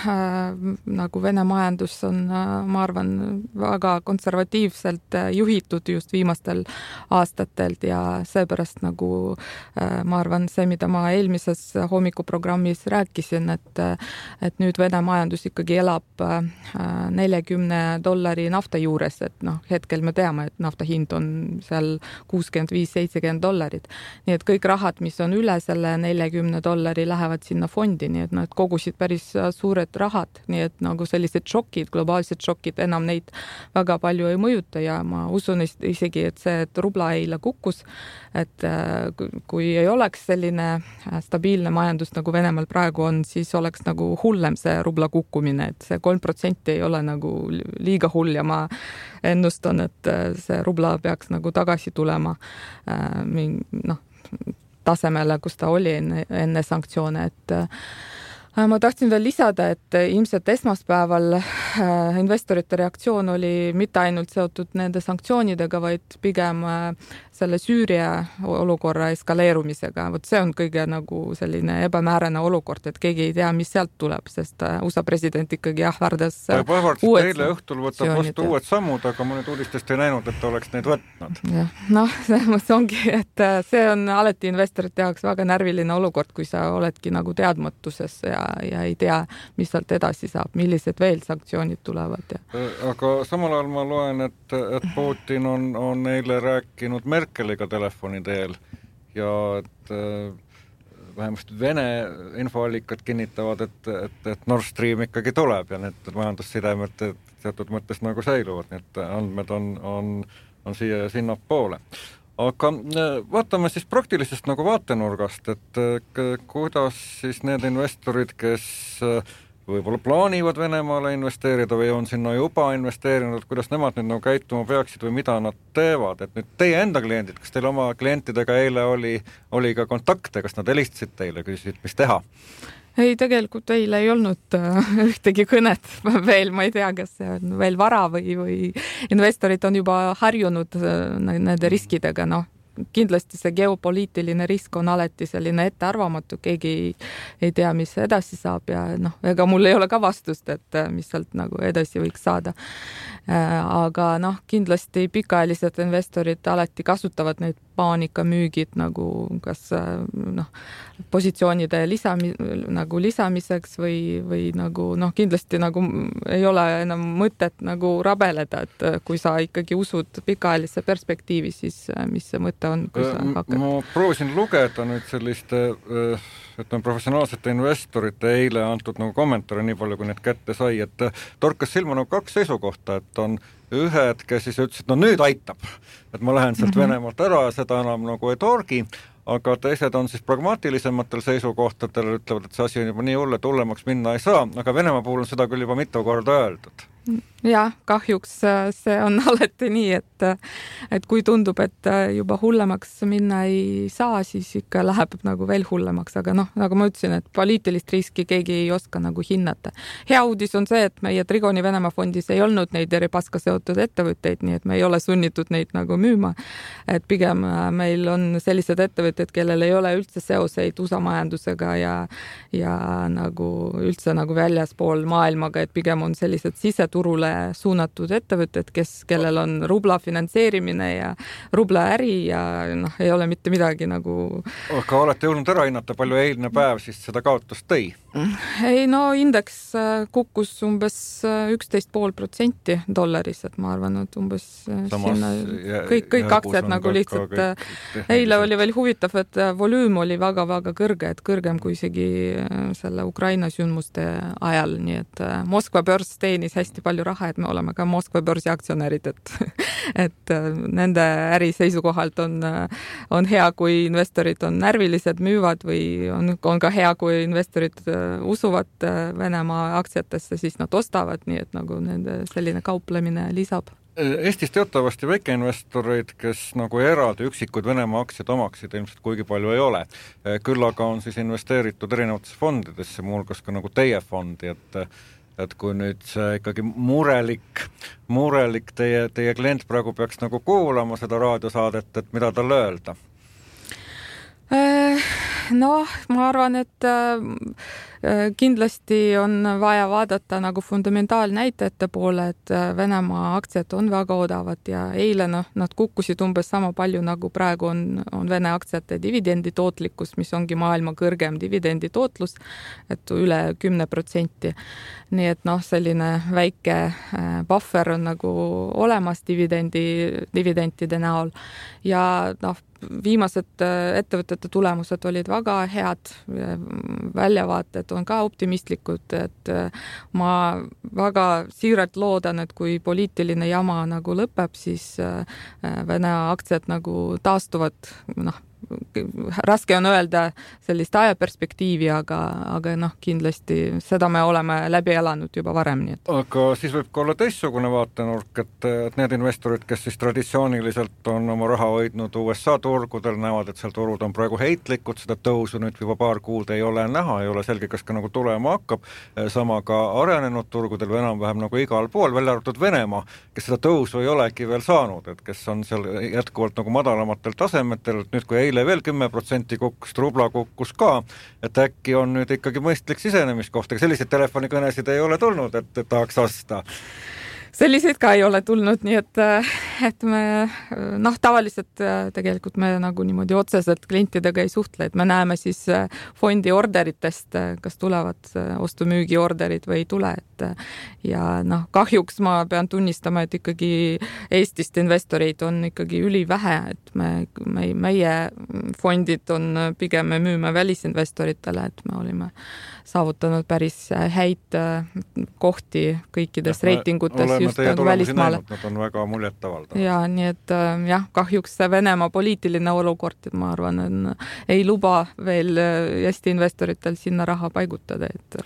nagu Vene majandus on, ma arvan, väga konservatiivselt juhitud just viimastel aastatelt ja seepärast nagu ma arvan, see, mida ma eelmises hommikuprogrammis rääkisin, et nüüd Vene majandus ikkagi elab $40 nafta juures, et hetkel me teame, et nafta hind on seal $65-70. Nii et kõik rahad, mis on üle selle $40 lähevad sinna fondi, nii et nad kogusid päris suured rahad, nii et nagu sellised šokid, globaalsed šokid enam neid väga palju ei mõjuta ja ma usun isegi, et see, et rubla eile kukkus, et kui ei oleks selline stabiilne majandus nagu Venemaal praegu on, siis oleks nagu hullem see rubla kukkumine, et see 3% ei ole nagu liiga hull ja ma ennustan, et see rubla peaks nagu tagasi tulema tasemele, kus ta oli enne sanktsioone, et ma tahtsin veel lisada, et ilmselt esmaspäeval investorite reaktsioon oli mitte ainult seotud nende sanktsioonidega, vaid pigem selle Süüria olukorra eskaleerumisega. See on kõige nagu selline ebamäärane olukord, et keegi ei tea, mis sealt tuleb, sest USA president ikkagi ähvardas uued eile õhtul võtab vastu uued sammud, aga ma nüüd uudistest ei näinud, et ta oleks neid võtnud. See ongi, et see on alati investorite jaoks väga närviline olukord, kui sa oledki nagu teadmatuses ja ei tea, mis sealt edasi saab, millised veel sanktsioonid tulevad. Aga samal ajal ma loen, et Putin on eile rääkinud Merkeliga telefoni teel ja et vähemasti Vene infoallikad kinnitavad, et Nord Stream ikkagi tuleb ja need majandussidemed teatud mõttes nagu säiluvad, nii et andmed on siia ja sinna poole. Aga vaatame siis praktilisest nagu vaatenurgast, et kuidas siis need investorid, kes võib-olla plaanivad Venemaale investeerida või on sinna juba investeerinud, kuidas nemad nüüd nagu käituma peaksid või mida nad teevad, et nüüd teie enda kliendid, kas teil oma klientidega eile oli ka kontakte, kas nad helistasid teile, küsisid, mis teha? Ei, tegelikult eile ei olnud ühtegi kõnet veel, ma ei tea, kas see on veel vara või investorid on juba harjunud nende riskidega, kindlasti see geopoliitiline risk on alati selline ettearvamatu, keegi ei tea, mis edasi saab ja ega mul ei ole ka vastust, et mis sealt nagu edasi võiks saada. Aga kindlasti pikaajalised investorid alati kasutavad neid paanikamüügid nagu kas positsioonide lisamiseks või nagu kindlasti nagu ei ole enam mõtet nagu rabeleda, et kui sa ikkagi usud pikaajalisse perspektiivi, siis mis see mõte on, kui sa hakkad? Ma proovisin lugeda nüüd selliste professionaalsete investorite eile antud nagu kommentaare nii palju, kui need kätte sai, et torkas silma nagu kaks seisukohta, et on ühed, kes siis ütlesid, nüüd aitab, et ma lähen sealt Venemaalt ära ja seda enam nagu ei torgi, aga teised on siis pragmaatilisematel seisukohtadel, ütlevad, et see asi on juba nii hull, et hullemaks minna ei saa, aga Venemaa puhul on seda küll juba mitu korda öeldud. Ja, kahjuks see on alati nii, et kui tundub, et juba hullemaks minna ei saa, siis ikka läheb nagu veel hullemaks, aga nagu ma ütlesin, et poliitilist riski keegi ei oska nagu hinnata. Hea uudis on see, et meie Trigoni Venemaa fondis ei olnud neid Deripaska seotud ettevõtteid, nii et me ei ole sunnitud neid nagu müüma. Et pigem meil on sellised ettevõtted, kellel ei ole üldse seoseid USA majandusega ja nagu üldse nagu väljaspool maailmaga, et pigem on sellised siseturule suunatud ettevõtted, kellel on rubla finantseerimine ja rubla äri ja ei ole mitte midagi nagu... Aga olete jõudnud ära hinnata, palju eilne päev siis seda kaotust tõi? Ei, indeks kukkus umbes 11,5% dollaris, et ma arvan, et umbes sinna kõik aktsiad nagu lihtsalt eile oli veel huvitav, et volüüm oli väga-väga kõrge, et kõrgem kui isegi selle Ukraina sündmuste ajal, nii et Moskva börs teenis hästi palju raha, et me oleme ka Moskva börsi aktsionärid, et nende äri seisukohalt on hea, kui investorid on närvilised, müüvad või on ka hea, kui investorid usuvad Venemaa aktsiatesse, siis nad ostavad, nii et nagu nende selline kauplemine lisab. Eestis teatavasti väikeinvestoreid, kes nagu eraldi üksikud Venemaa aktsiad omaksid, ilmselt kuigi palju ei ole. Küll aga on siis investeeritud erinevatesse fondidesse, muuhulgas ka nagu teie fondi, et kui nüüd see ikkagi murelik teie klient praegu peaks nagu kuulama seda raadiosaadet, et mida tal öelda? Ma arvan, et kindlasti on vaja vaadata nagu fundamentaalnäitajate poole, et Venemaa aktsiad on väga odavad ja eile nad kukkusid umbes sama palju, nagu praegu on Vene aktsiate dividendi tootlikkus, mis ongi maailma kõrgem dividendi tootlus, et üle 10%. Nii et selline väike buffer on nagu olemas dividendide näol ja viimased ettevõtete tulemused olid väga head, väljavaated on ka optimistlikud, et ma väga siiralt loodan, et kui poliitiline jama nagu lõpeb, siis Vene aktsiad nagu taastuvad, raske on öelda sellist ajaperspektiivi, aga kindlasti seda me oleme läbi elanud juba varem. Nii et. Aga siis võib ka olla teistsugune vaatenurk, et need investorid, kes siis traditsiooniliselt on oma raha hoidnud USA turgudel, näevad, et seal turud on praegu heitlikud, seda tõusu nüüd juba paar kuud ei ole näha, ei ole selge, kas ka nagu tulema hakkab. Sama ka arenenud turgudel või enam-vähem nagu igal pool, välja arvatud Venemaa, kes seda tõusu ei olegi veel saanud, et kes on seal jätkuvalt nagu madalamatel tasemetel, et nüüd kui eile veel 10% kukkus, rubla kukkus ka, et äkki on nüüd ikkagi mõistlik sisenemiskoht, aga selliseid telefonikõnesid ei ole tulnud, et tahaks osta. Selliseid ka ei ole tulnud, nii et me tavaliselt tegelikult me nagu niimoodi otseselt klientidega ei suhtle, et me näeme siis fondi orderitest, kas tulevad ostu-müügi orderid või ei tule, ja kahjuks ma pean tunnistama, et ikkagi Eestist investoreid on ikkagi ülivähe, et meie fondid on pigem me müüme välisinvestoritele, et me olime saavutanud päris häid kohti kõikides reitingutes just välismaale. Nad on väga muljetavaldavad. Ja nii et kahjuks see Venemaa poliitiline olukord, ma arvan, ei luba veel Eesti investoritel sinna raha paigutada, et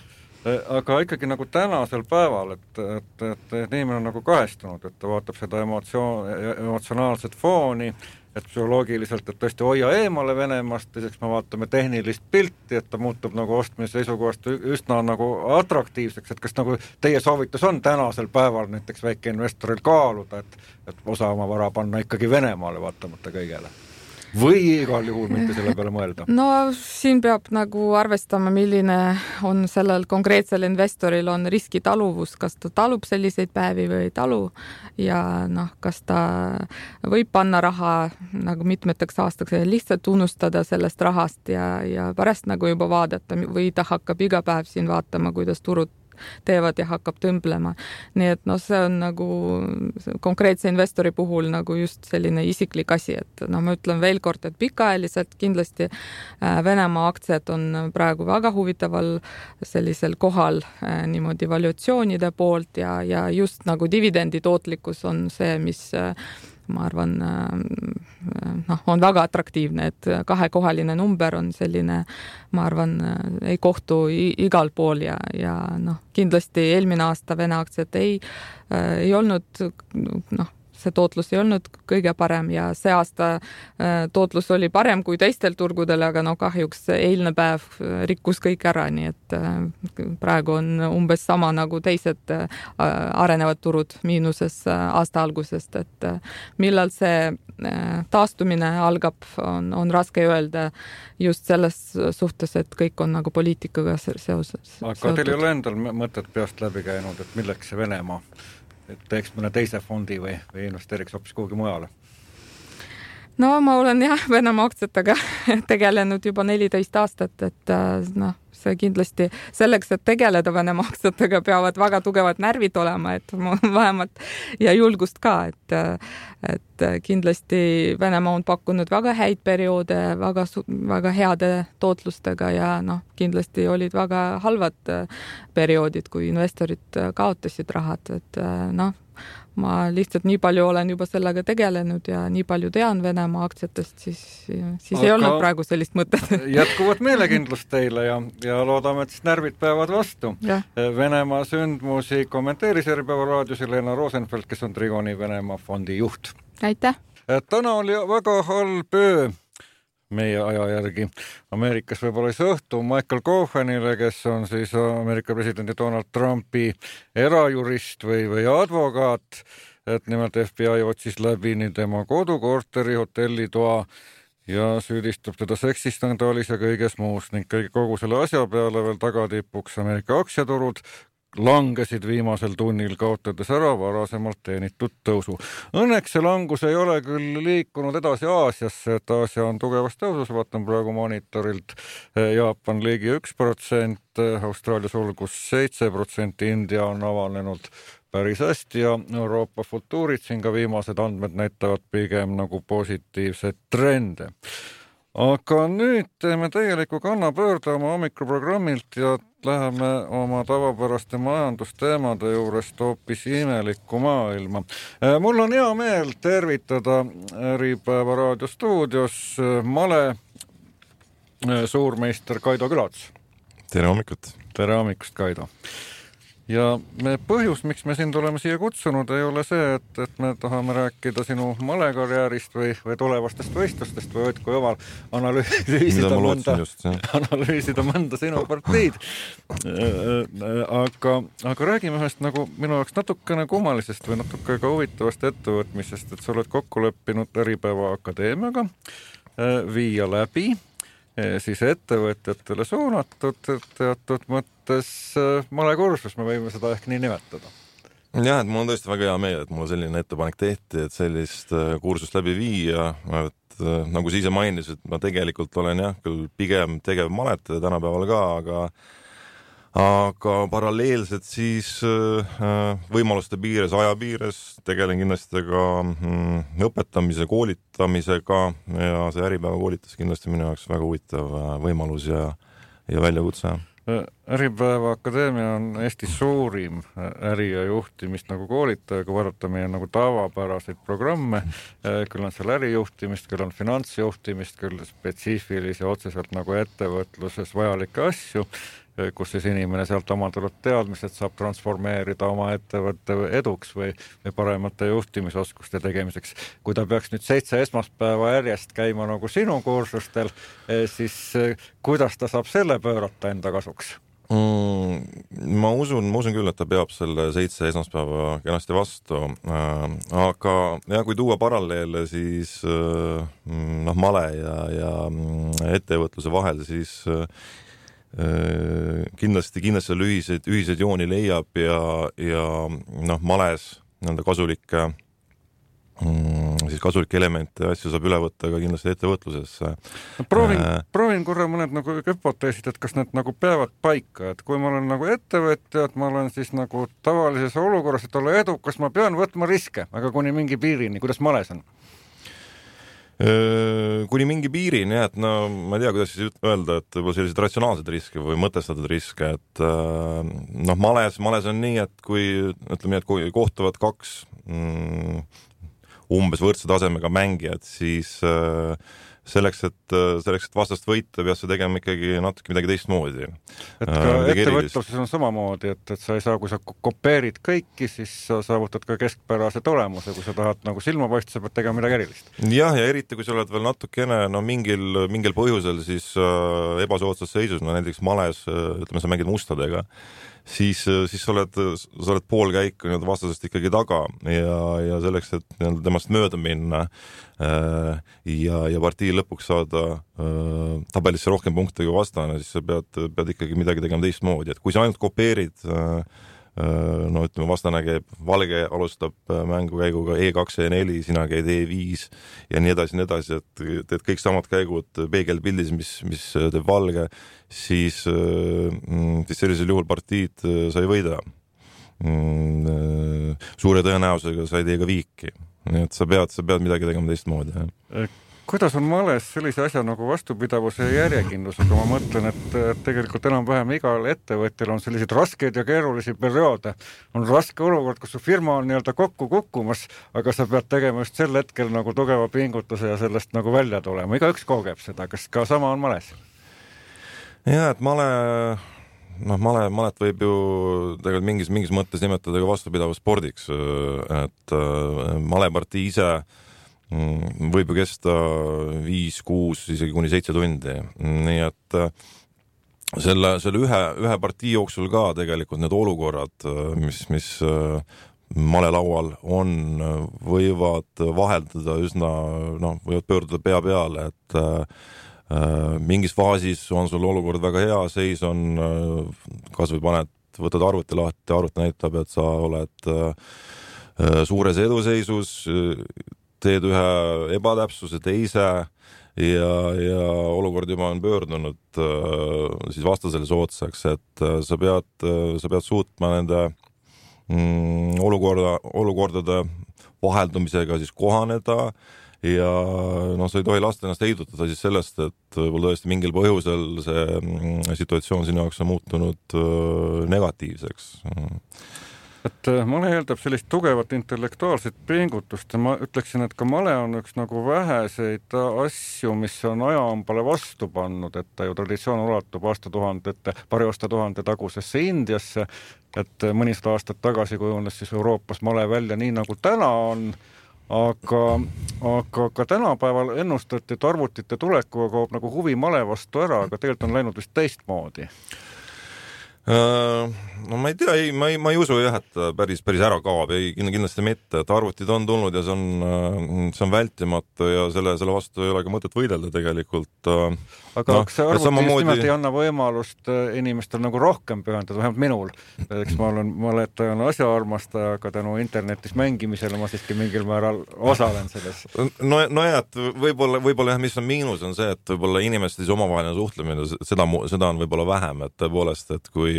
aga ikkagi nagu tänasel päeval, et inimene on nagu kahestunud, et ta vaatab seda emotsionaalset fooni, et psühholoogiliselt, et tõesti hoia eemale Venemaast, teiseks me vaatame tehnilist pilti, et ta muutub nagu ostmise seisukohast üsna nagu atraktiivseks, et kas nagu teie soovitus on tänasel päeval näiteks väikeinvestoril kaaluda, et osa oma vara panna ikkagi Venemaale vaatamata kõigele? Või igal juhul mitte selle peale mõelda? No siin peab nagu arvestama, milline on sellel konkreetsel investoril on riskitaluvus, kas ta talub selliseid päevi või ei talu ja kas ta võib panna raha nagu mitmeteks aastaks ja lihtsalt unustada sellest rahast ja pärast nagu juba vaadata või ta hakkab iga päev siin vaatama, kuidas turud teevad ja hakkab tõmblema. Nii et see on nagu konkreetse investori puhul nagu just selline isiklik asi, et ma ütlen veel kord, et pikaajaliselt kindlasti Venemaa aktsiad on praegu väga huvitaval sellisel kohal niimoodi valuatsioonide poolt ja just nagu dividendi tootlikkus on see, mis ma arvan, on väga atraktiivne, et kahekohaline number on selline, ma arvan, ei kohtu igal pool ja kindlasti eelmine aasta Vene aktsiad ei olnud, see tootlus ei olnud kõige parem ja see aasta tootlus oli parem kui teistel turgudel, aga kahjuks eilne päev rikkus kõik ära, nii et praegu on umbes sama nagu teised arenevad turud miinuses aasta algusest, et millal see taastumine algab, on raske öelda just selles suhtes, et kõik on nagu poliitikaga seoses. Aga teil ei ole endal mõtet peast läbi käinud, et milleks see Venemaa? Et teeks mõne teise fondi või investeeriks hoopis kuhugi mujale? No ma olen Venemaa aktsiatega tegelenud juba 14 aastat, et see kindlasti selleks, et tegeleda Venemaa aktsiatega, peavad väga tugevad närvid olema, et vähemalt ja julgust ka, et kindlasti Venemaa on pakkunud väga häid perioode, väga heade tootlustega ja kindlasti olid väga halvad perioodid, kui investorid kaotasid rahad, et ma lihtsalt nii palju olen juba sellega tegelenud ja nii palju tean Venemaa aktsiatest, siis ei olnud praegu sellist mõtet. Jätkuvat meelekindlust teile ja loodame, et siis närvid peavad vastu. Ja. Venemaa sündmusi kommenteeris Äripäeva raadios Helena Rosenfeld, kes on Trigoni Venemaa fondi juht. Aitäh! Täna oli väga halb öö meie aja järgi. Ameerikas võib-olla see õhtu Michael Cohenile, kes on siis Ameerika presidendi Donald Trumpi erajurist või advokaat, et nimelt FBI otsis läbi nii tema kodukorteri, hotellitoa ja süüdistab teda seksistandaalis ja kõiges muus ning kogu selle asja peale veel tagatipuks Ameerika aktsiaturud langesid viimasel tunnil, kaotades ära varasemalt teenitud tõusu. Õnneks see langus ei ole küll liikunud edasi Aasiasse, et Aasia on tugevas tõusus, vaatan praegu monitorilt, Jaapan ligi 1%, Austraalia sulgus 7%, India on avanenud päris hästi ja Euroopa futuurid siin ka viimased andmed näitavad pigem nagu positiivseid trende. Aga nüüd teeme täieliku kannapöörde oma hommikuprogrammilt ja läheme oma tavapäraste majandusteemade juurest hoopis imelikku maailma. Mul on hea meel tervitada Äripäeva raadiostuudios male suurmeister Kaido Külats. Tere hommikut! Tere hommikust, Kaido! Ja põhjus, miks me sind oleme siia kutsunud, ei ole see, et me tahame rääkida sinu malekarjäärist või tulevastest võistlustest või Otko Joval analüüsida mõnda sinu parteid. Aga räägime ühest nagu minu jaoks natukene kummalisest või natuke ka huvitavast ettevõtmisest, et sa oled kokku leppinud Äripäeva Akadeemiaga viia läbi siis ettevõtjatele suunatud teatud mõttes malekursus, me võime seda ehk nii nimetada. Jah, et mul on tõesti väga hea meel, et mulle selline ettepanek tehti, et sellist kursust läbi viia, et nagu sa ise mainisid, ma tegelikult olen küll pigem tegev maletaja tänapäeval ka, aga paralleelselt siis võimaluste piires, aja piires tegelen kindlasti ka õpetamise, koolitamisega ja see Äripäeva koolitus kindlasti minu jaoks väga huvitav võimalus ja väljakutse. Äripäeva Akadeemia on Eesti suurim äri- ja juhtimist nagu koolitaja, kui vaadata meie nagu tavapäraseid programme, küll on seal ärijuhtimist, küll on finantsjuhtimist, küll spetsiifilisi otseselt nagu ettevõtluses vajalikke asju. kus siis inimene sealt omandatud teadmised saab transformeerida oma ettevõtte eduks või paremate juhtimisoskuste tegemiseks. Kui ta peaks nüüd 7 esmaspäeva järjest käima nagu sinu kursustel, siis kuidas ta saab selle pöörata enda kasuks? Ma usun küll, et ta peab selle 7 esmaspäeva kenasti vastu, aga ja kui tuua paralleele, siis male ja ettevõtluse vahel, siis kindlasti seal ühiseid jooni leiab ja males nende kasulikke elemente ja asju saab üle võtta ka kindlasti ettevõtlusesse. Proovin korra mõned nagu hüpoteesid, et kas need nagu peavad paika, et kui ma olen nagu ettevõtja, et ma olen siis nagu tavalises olukorras, et olla edukas, ma pean võtma riske, aga kuni mingi piirini, kuidas males on? Kuni mingi piirini, et no ma ei tea, kuidas siis öelda, et võib-olla sellised ratsionaalsed riske või mõtestatud riske, et males on nii, et kui ütleme nii, et kui kohtuvad 2 umbes võrdse tasemega mängijad, siis selleks, et vastast võita, peab see tegema ikkagi natuke midagi teistmoodi. Et ka ettevõtluses on samamoodi, et sa ei saa, kui sa kopeerid kõiki, siis sa saavutad ka keskpärase tulemuse, kui sa tahad nagu silmapaista, sa pead tegema midagi erilist. Ja eriti, kui sa oled veel natukene mingil põhjusel siis ebasoodsas seisus, näiteks males, ütleme, sa mängid mustadega, siis sa oled pool käiku vastasest ikkagi taga ja selleks, et temast mööda minna ja partii lõpuks saada tabelisse rohkem punkte kui vastane, siis sa pead ikkagi midagi tegema teistmoodi, et kui sa ainult kopeerid ütleme, vastane käib, valge alustab mängukäiguga E2 ja E4, sina käid E5 ja nii edasi, et teed kõik samad käigud peegelpildis, mis teeb valge, siis sellisel juhul partiid sa ei võida. Suure tõenäosusega sa ei tee ka viiki. Nii et sa pead midagi tegema teistmoodi. Kuidas on males sellise asja nagu vastupidavuse ja järjekindlusega? Ma mõtlen, et tegelikult enam-vähem igal ettevõtjal on selliseid raskeid ja keerulisi perioode. On raske olukord, kus su firma on nii-öelda kokku kukkumas, aga sa pead tegema just sel hetkel nagu tugeva pingutuse ja sellest nagu välja tulema. Igaüks kogeb seda. Kas ka sama on males? Ja, et malet võib ju tegelikult mingis mõttes nimetada ka vastupidavus spordiks, et malepartii ise võib ju kesta 5, 6, isegi kuni 7 tundi. Nii et selle ühe partii jooksul ka tegelikult need olukorrad, mis malelaual on, võivad vaheldada üsna, võivad pöörduda pea peale, et mingis faasis on sul olukord väga hea, seis on, kas või võtad arvuti lahti, arvuti näitab, et sa oled suures eduseisus, teed ühe ebatäpsuse teise ja olukord juba on pöördunud siis vastasele soodsaks, et sa pead suutma nende olukordade vaheldumisega siis kohaneda ja sa ei tohi lasta ennast heidutada siis sellest, et võib-olla tõesti mingil põhjusel see situatsioon sinu jaoks on muutunud negatiivseks. Et male eeldab sellist tugevat intellektuaalset pingutust ja ma ütleksin, et ka male on üks nagu väheseid asju, mis on ajahambale vastu pannud, et ta ju traditsioon ulatub paari aastatuhande tagusesse Indiasse, et mõnisada aastat tagasi kujunes siis Euroopas male välja nii nagu täna on, aga ka tänapäeval ennustati, et arvutite tulekuga kaob nagu huvi male vastu ära, aga tegelikult on läinud vist teistmoodi. No ma ei tea, ma ei usu jah, et päris ära kaob, kindlasti mitte, et arvutid on tulnud ja see on vältimatu ja selle vastu ei ole ka mõtet võidelda tegelikult. Aga kas see arvuti just nimelt ei anna võimalust inimestel nagu rohkem pühendada, vähemalt minul. Eks ma olen maletajan asjaarmastaja, aga tänu internetis mängimisele ma siiski mingil määral osalen selles. No jah, et võib-olla jah, mis on miinus on see, et võib-olla inimeste omavaheline suhtlemine, seda on võib-olla vähem, et tõepoolest, et kui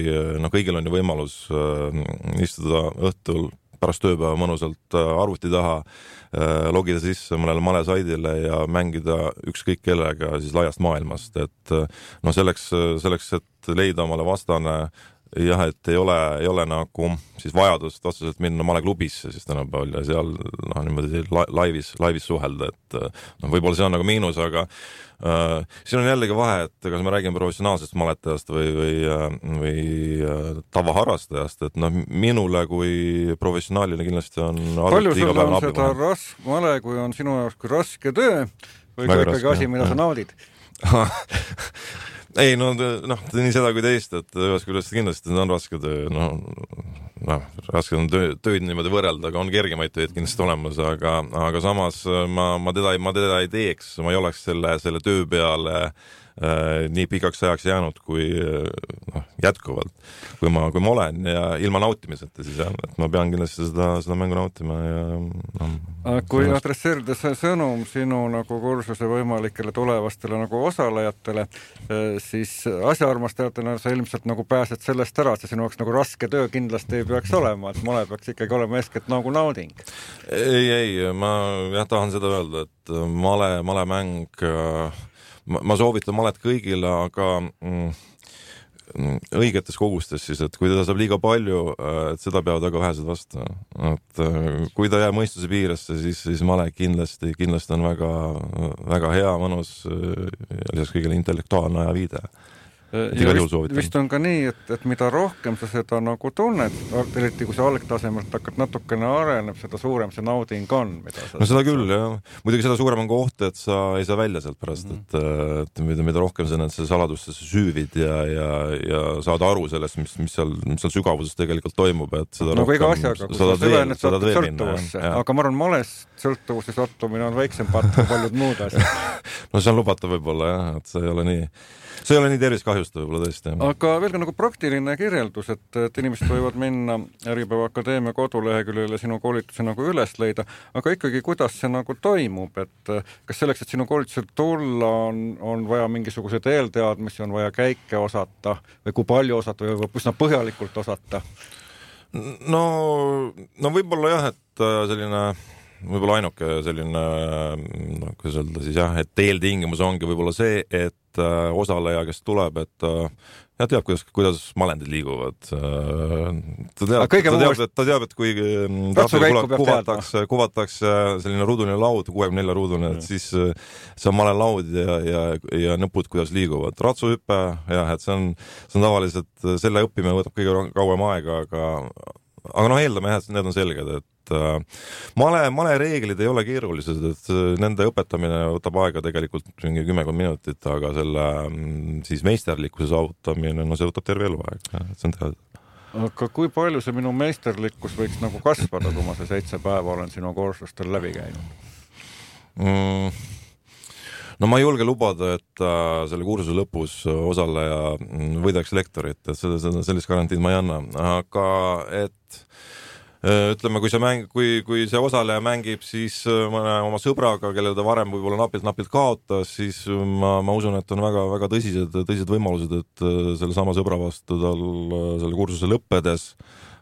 kõigil on ju võimalus istuda õhtul pärast tööpäeva mõnusalt arvuti taha, logida sisse mõnele malesaidile ja mängida ükskõik kellega siis laiast maailmast, et selleks, et leida omale vastane jah, et ei ole nagu siis vajadust otseselt minna maleklubisse siis tänapäeval ja seal niimoodi laivis suhelda, et võib-olla see on nagu miinus, aga siin on jällegi vahe, et kas me räägime professionaalsest maletajast või tavaharrastajast, et minule kui professionaalile kindlasti on palju sul on seda male, kui on sinu jaoks kui raske töö või kui ikkagi asi, mida sa naudid? Ei, nii seda kui teist, et ühest küljest kindlasti on raske töö, raske on tööd niimoodi võrrelda, aga on kergemaid tööd kindlasti olemas, aga samas ma teda ei teeks, ma ei oleks selle töö peale nii pikaks ajaks jäänud kui jätkuvalt, kui ma olen ja ilma nautimiseta siis jah, et ma pean kindlasti seda mängu nautima ja kui adresseerida see sõnum sinu nagu kursuse võimalikele tulevastele nagu osalejatele, siis asjaarmastajatena sa ilmselt nagu pääsed sellest ära, see sinu jaoks nagu raske töö kindlasti ei peaks olema, et male peaks ikkagi olema eeskätt nagu nauding. Ei, ma tahan seda öelda, et malemäng ma soovitan malet kõigile, aga õigetes kogustes siis, et kui teda saab liiga palju, et seda peavad väga vähesed vastu. Et kui ta jääb mõistuse piiresse, siis male kindlasti on väga hea, mõnus ja lisaks kõigile intellektuaalne ja viide. Ja vist on ka nii, et mida rohkem sa seda nagu tunned, eriti kui sa algtasemelt hakkad natukene areneb, seda suurem see nauding on. Seda küll, jah. Muidugi seda suurem on koht, et sa ei saa välja sealt pärast, et mida rohkem sa need saladustesse süüvid ja saad aru sellest, mis seal sügavuses tegelikult toimub, et seda rohkem iga asjaga, kui sa süvened sõltuvusse, aga ma arvan, malest sõltuvuse sattumine on väiksem part kui paljud muud asjad. See on lubatav võib-olla, jah, et see ei ole nii tervis kahjusta võib-olla tõesti. Aga veel ka nagu praktiline kirjeldus, et inimesed võivad minna Äripäeva Akadeemia koduleheküljele sinu koolituse nagu üles leida, aga ikkagi kuidas see nagu toimub, et kas selleks, et sinu koolitusel tulla, on vaja mingisuguseid eelteadmisi, on vaja käike osata või kui palju osata või üsna põhjalikult osata? No võib-olla jah, et selline võib-olla ainuke selline, kuidas öelda siis jah, et eeltingimus ongi võib-olla see, et osaleja, kes tuleb, et teab, kuidas malendid liiguvad. Ta teab, et kui kuvatakse selline ruuduline laud, 64 ruudune, et siis see on malelaud ja nõpud, kuidas liiguvad. Ratsuhüppe, jah, et see on tavaliselt, selle õppimine võtab kõige kauem aega, aga eeldame jah, et need on selged, et male reeglid ei ole keerulised, et nende õpetamine võtab aega tegelikult 10 minutit, aga selle siis meisterlikkuse saavutamine, see võtab terve eluaeg, see on teada. Aga kui palju see minu meisterlikkus võiks nagu kasvada, kui ma see 7 päeva olen sinu kursustel läbi käinud? Ma ei julge lubada, et selle kursuse lõpus osaleja võidaks lektorit, et sellist garantiid ma ei anna, aga et ütleme, kui see osaleja mängib siis mõne oma sõbraga, kellele ta varem võib-olla napilt kaotas, siis ma usun, et on väga tõsised võimalused, et selle sama sõbra vastu tal selle kursuse lõppedes,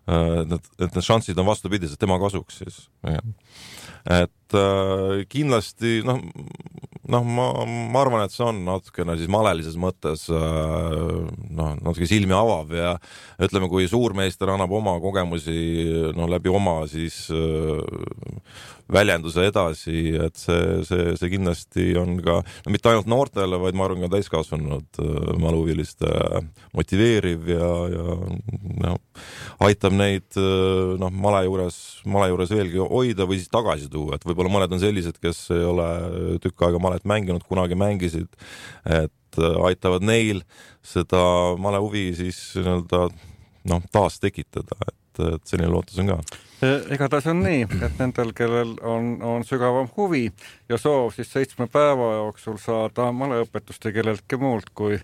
et need šansid on vastupidised tema kasuks siis. Et kindlasti ma arvan, et see on natukene siis malelises mõttes natuke silmi avav ja ütleme, kui suurmeister annab oma kogemusi läbi oma siis väljenduse edasi, et see kindlasti on ka mitte ainult noortele, vaid ma arvan ka täiskasvanud maluhuviliste motiveeriv ja aitab neid male juures veelgi hoida või siis tagasi tuua, et võib-olla mõned on sellised, kes ei ole tükk aega malet mänginud, kunagi mängisid, et aitavad neil seda male huvi siis taas tekitada, et selline lootus on ka. Igatahes on nii, et nendel, kellel on sügavam huvi ja soov siis 7 päeva jooksul saada maleõpetust ja kelleltki muult kui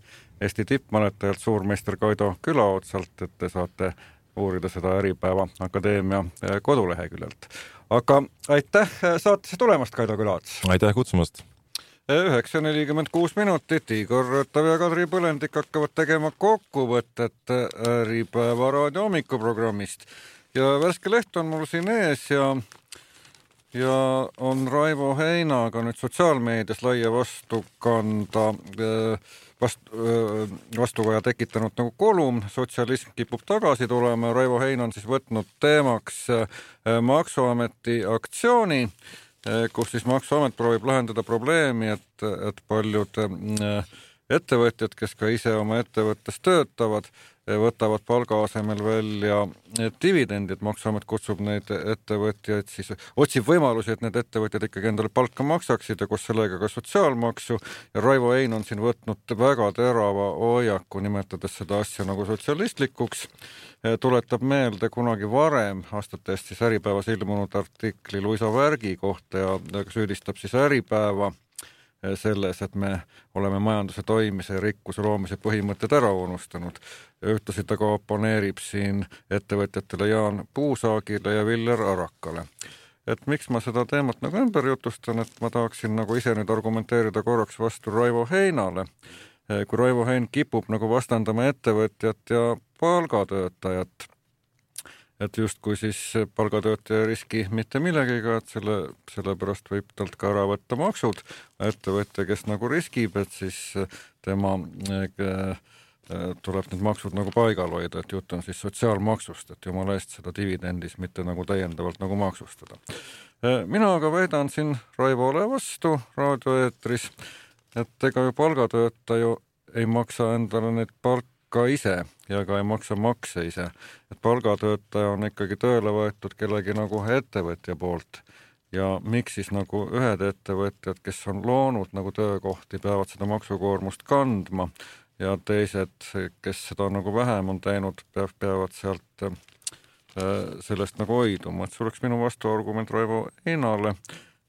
Eesti tippmaletajalt suurmeister Kaido Külaotsalt, et te saate uurida seda Äripäeva Akadeemia koduleheküljelt. Aga aitäh saatesse tulemast, Kaido Külaots! Aitäh kutsumast! 9:46 minutit, Igor Rõtav ja Kadri Põlendik hakkavad tegema kokkuvõtet Äripäeva raadio hommikuprogrammist ja värske leht on mul siin ees ja ja on Raivo Heinaga nüüd sotsiaalmeedias laia vastukaja tekitanud nagu kolumn Sotsialism kipub tagasi tulema. Raivo Hein on siis võtnud teemaks Maksuameti aktsiooni, kus siis Maksuamet proovib lahendada probleemi, et paljud ettevõtjad, kes ka ise oma ettevõttes töötavad, võtavad palga asemel välja dividendid. Maksuamet kutsub neid ettevõtjaid, siis otsib võimalusi, et need ettevõtjad ikkagi endale palka maksaksid ja koos sellega ka sotsiaalmaksu. Ja Raivo Hein on siin võtnud väga terava hoiaku, nimetades seda asja nagu sotsialistlikuks. Tuletab meelde kunagi varem aastate eest siis Äripäevas ilmunud artikli Luisa Värgi kohta ja süüdistab siis Äripäeva selles, et me oleme majanduse toimimise ja rikkuse loomise põhimõtted ära unustanud. Ühtlasi ta ka oponeerib siin ettevõtjatele Jaan Puusaagile ja Viljar Arakale. Et miks ma seda teemat nagu ümber jutustan, et ma tahaksin nagu ise nüüd argumenteerida korraks vastu Raivo Heinale. Kui Raivo Hein kipub nagu vastandama ettevõtjat ja palgatöötajat, et justkui siis palgatöötaja riski mitte millegiga, et sellepärast võib talt ka ära võtta maksud. Ettevõtja, kes nagu riskib, et siis tema tuleb need maksud nagu paigal hoida, et jutt on siis sotsiaalmaksust, et jumala eest seda dividendis mitte nagu täiendavalt nagu maksustada. Mina aga väidan siin Raivole vastu raadioeetris, et ega ju palgatöötaja ei maksa endale neid palka ise ja ka ei maksa makse ise. Et palgatöötaja on ikkagi tööle võetud kellegi nagu ettevõtja poolt. Ja miks siis nagu ühed ettevõtjad, kes on loonud nagu töökohti, peavad seda maksukoormust kandma ja teised, kes seda nagu vähem on teinud, peavad sealt sellest nagu hoiduma. Et see oleks minu vastuargument Raivo Heinale,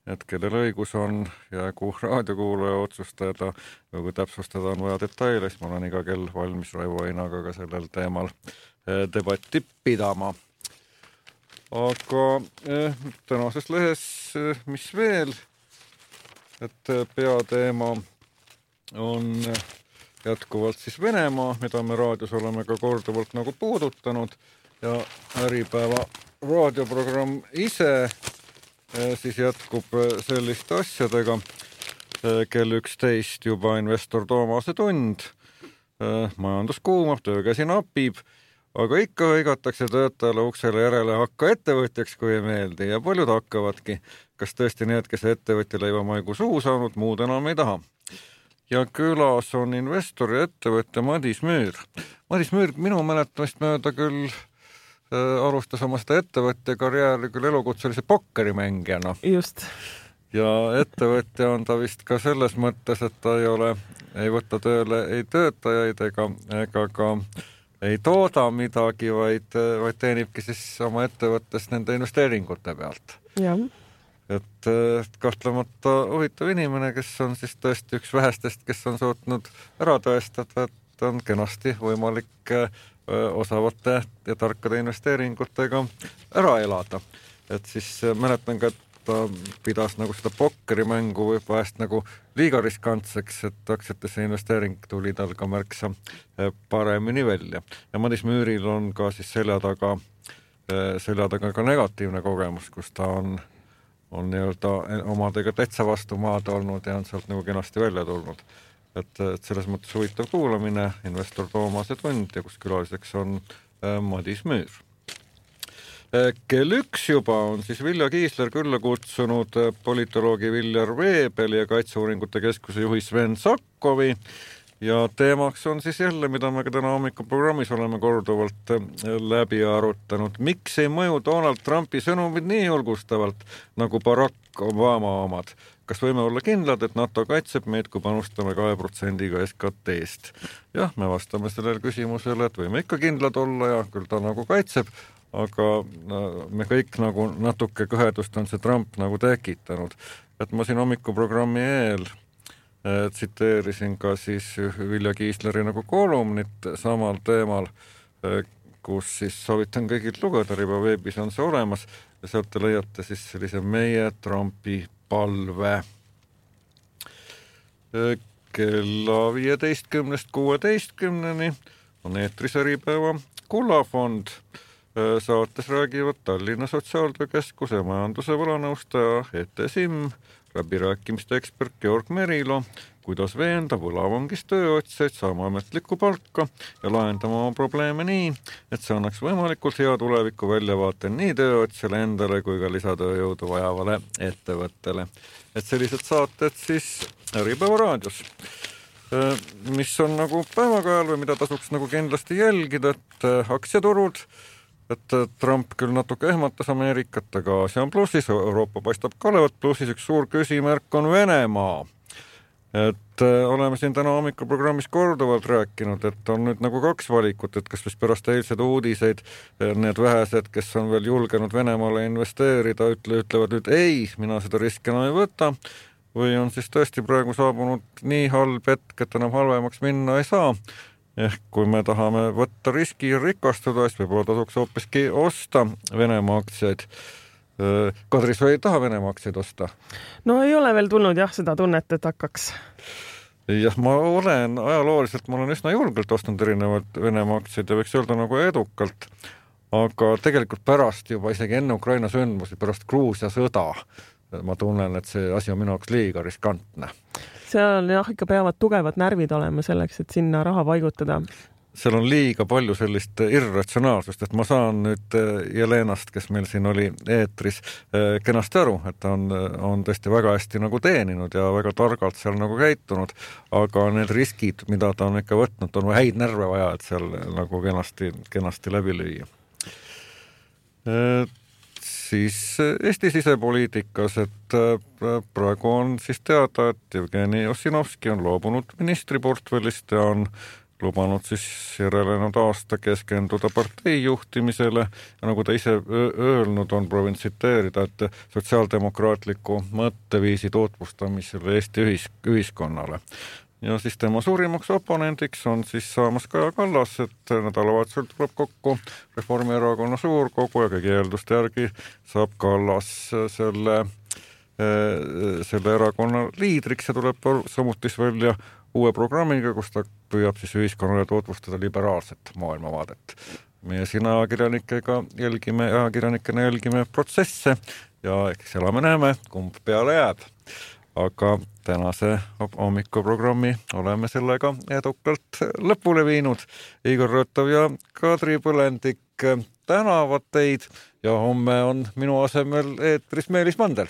et kellel õigus on ja kui raadiokuulaja otsustada või kui täpsustada on vaja detaile, siis ma olen iga kell valmis Raivo Heinaga ka sellel teemal debatti pidama. Aga tänases lehes, mis veel, et peateema on jätkuvalt siis Venemaa, mida me raadios oleme ka korduvalt nagu puudutanud ja Äripäeva raadioprogramm ise siis jätkub selliste asjadega. Kell 11 juba investor Toomase tund. Majandus kuumab, töökäsi napib, aga ikka hõigatakse töötajale uksele järele hakka ettevõtjaks, kui ei meeldi ja paljud hakkavadki. Kas tõesti need, kes ettevõtja leivamaigu suhu saanud, muud enam ei taha. Ja külas on investor ja ettevõtja Madis Müür. Madis Müür minu mäletamist mööda küll alustas oma seda ettevõtja karjääri küll elukutselise pokkerimängijana. Just. Ja ettevõtja on ta vist ka selles mõttes, et ta ei võta tööle ei töötajaid ega ka ei tooda midagi, vaid teenibki siis oma ettevõttes nende investeeringute pealt. Ja. Et kahtlemata huvitav inimene, kes on siis tõesti üks vähestest, kes on suutnud ära tõestada, et on kenasti võimalik osavate ja tarkade investeeringutega ära elada. Et siis mäletan ka, et ta pidas nagu seda pokkerimängu vahest nagu liiga riskantseks, et aktsiatesse investeering tuli tal ka märksa paremini välja. Ja Madis Müüril on ka siis selja taga ka negatiivne kogemus, kus ta on nii-öelda omadega täitsa vastu maad olnud ja on sealt nagu kenasti välja tulnud. Et selles mõttes huvitav kuulamine, investor Toomase tund ja kus külaliseks on Madis Müür. Kell 1 juba on siis Vilja Kiisler külla kutsunud politoloogi Viljar Veebeli ja Kaitseuuringute Keskuse juhi Sven Sakkovi ja teemaks on siis jälle, mida me ka täna hommikuprogrammis oleme korduvalt läbi arutanud. Miks ei mõju Donald Trumpi sõnumid nii julgustavalt nagu Barack Obama omad? Kas võime olla kindlad, et NATO kaitseb meid, kui panustame 2%-ga SKT-st? Jah, me vastame sellele küsimusele, et võime ikka kindlad olla ja küll ta nagu kaitseb, aga me kõik nagu natuke kõhedust on see Trump nagu tekitanud. Et ma siin hommikuprogrammi eel tsiteerisin ka siis Vilja Kiisleri nagu kolumnit samal teemal, kus siis soovitan kõigilt lugeda, Riba veebis on see olemas ja sealt te leiate siis sellise meie Trumpi palve. Kella 15-16 on eetris Äripäeva kullafond. Saates räägivad Tallinna Sotsiaaltöökeskuse majanduse võlanõustaja Ete Simm, läbirääkimiste ekspert Georg Merilo, kuidas veenda võlavangis tööotsjaid saama ametlikku palka ja lahendama oma probleeme nii, et see annaks võimalikult hea tuleviku väljavaate nii tööotsjale endale kui ka lisatööjõudu vajavale ettevõttele. Et sellised saated siis Äripäeva raadios, mis on nagu päevakajal või mida tasuks nagu kindlasti jälgida, et aktsiaturud, et Trump küll natuke ehmatas Ameerikat, aga Aasia on plussis, Euroopa paistab ka olevat plussis, üks suur küsimärk on Venemaa. Et oleme siin täna hommikuprogrammis korduvalt rääkinud, et on nüüd nagu kaks valikut, et kas vist pärast eilsed uudiseid need vähesed, kes on veel julgenud Venemaale investeerida, ütlevad nüüd ei, mina seda riski enam ei võta, või on siis tõesti praegu saabunud nii halb hetk, et enam halvemaks minna ei saa. Ehk kui me tahame võtta riski ja rikastuda, siis võib-olla tasuks hoopiski osta Venemaa aktsiaid. Kadri, sa ei taha Venemaa aktsiaid osta? No ei ole veel tulnud seda tunnet, et hakkaks. Jah, ma olen ajalooliselt, ma olen üsna julgelt ostnud erinevad Venemaa aktsiaid ja võiks öelda nagu edukalt. Aga tegelikult pärast juba isegi enne Ukraina sündmusi, pärast Gruusia sõda, ma tunnen, et see asi on minu jaoks liiga riskantne. Seal ikka peavad tugevad närvid olema selleks, et sinna raha paigutada. Seal on liiga palju sellist irratsionaalsust, et ma saan nüüd Jelenast, kes meil siin oli eetris, kenasti aru, et ta on tõesti väga hästi nagu teeninud ja väga targalt seal nagu käitunud, aga need riskid, mida ta on ikka võtnud, on häid närve vaja, et seal nagu kenasti läbi lüüa. Siis Eesti sisepoliitikas, et praegu on siis teada, et Jevgeni Ossinovski on loobunud ministriportfellist ja on lubanud siis järelenud aasta keskenduda partei juhtimisele ja nagu ta ise öelnud on, proovin tsiteerida, et sotsiaaldemokraatliku mõtteviisi tutvustamisele Eesti ühiskonnale. Ja siis tema suurimaks oponendiks on siis saamas Kaja Kallas, et nädalavahetusel tuleb kokku Reformierakonna suurkogu ja kõigi eelduste järgi saab Kallas selle erakonna liidriks ja tuleb samuti välja uue programmiga, kus ta püüab siis ühiskonnale tutvustada liberaalset maailmavaadet. Meie siin ajakirjanikena jälgime protsesse ja eks elame-näeme, kumb peale jääb. Aga tänase hommikuprogrammi oleme sellega edukalt lõpule viinud. Igor Rõtov ja Kadri Põlendik tänavad teid ja homme on minu asemel eetris Meelis Mandel.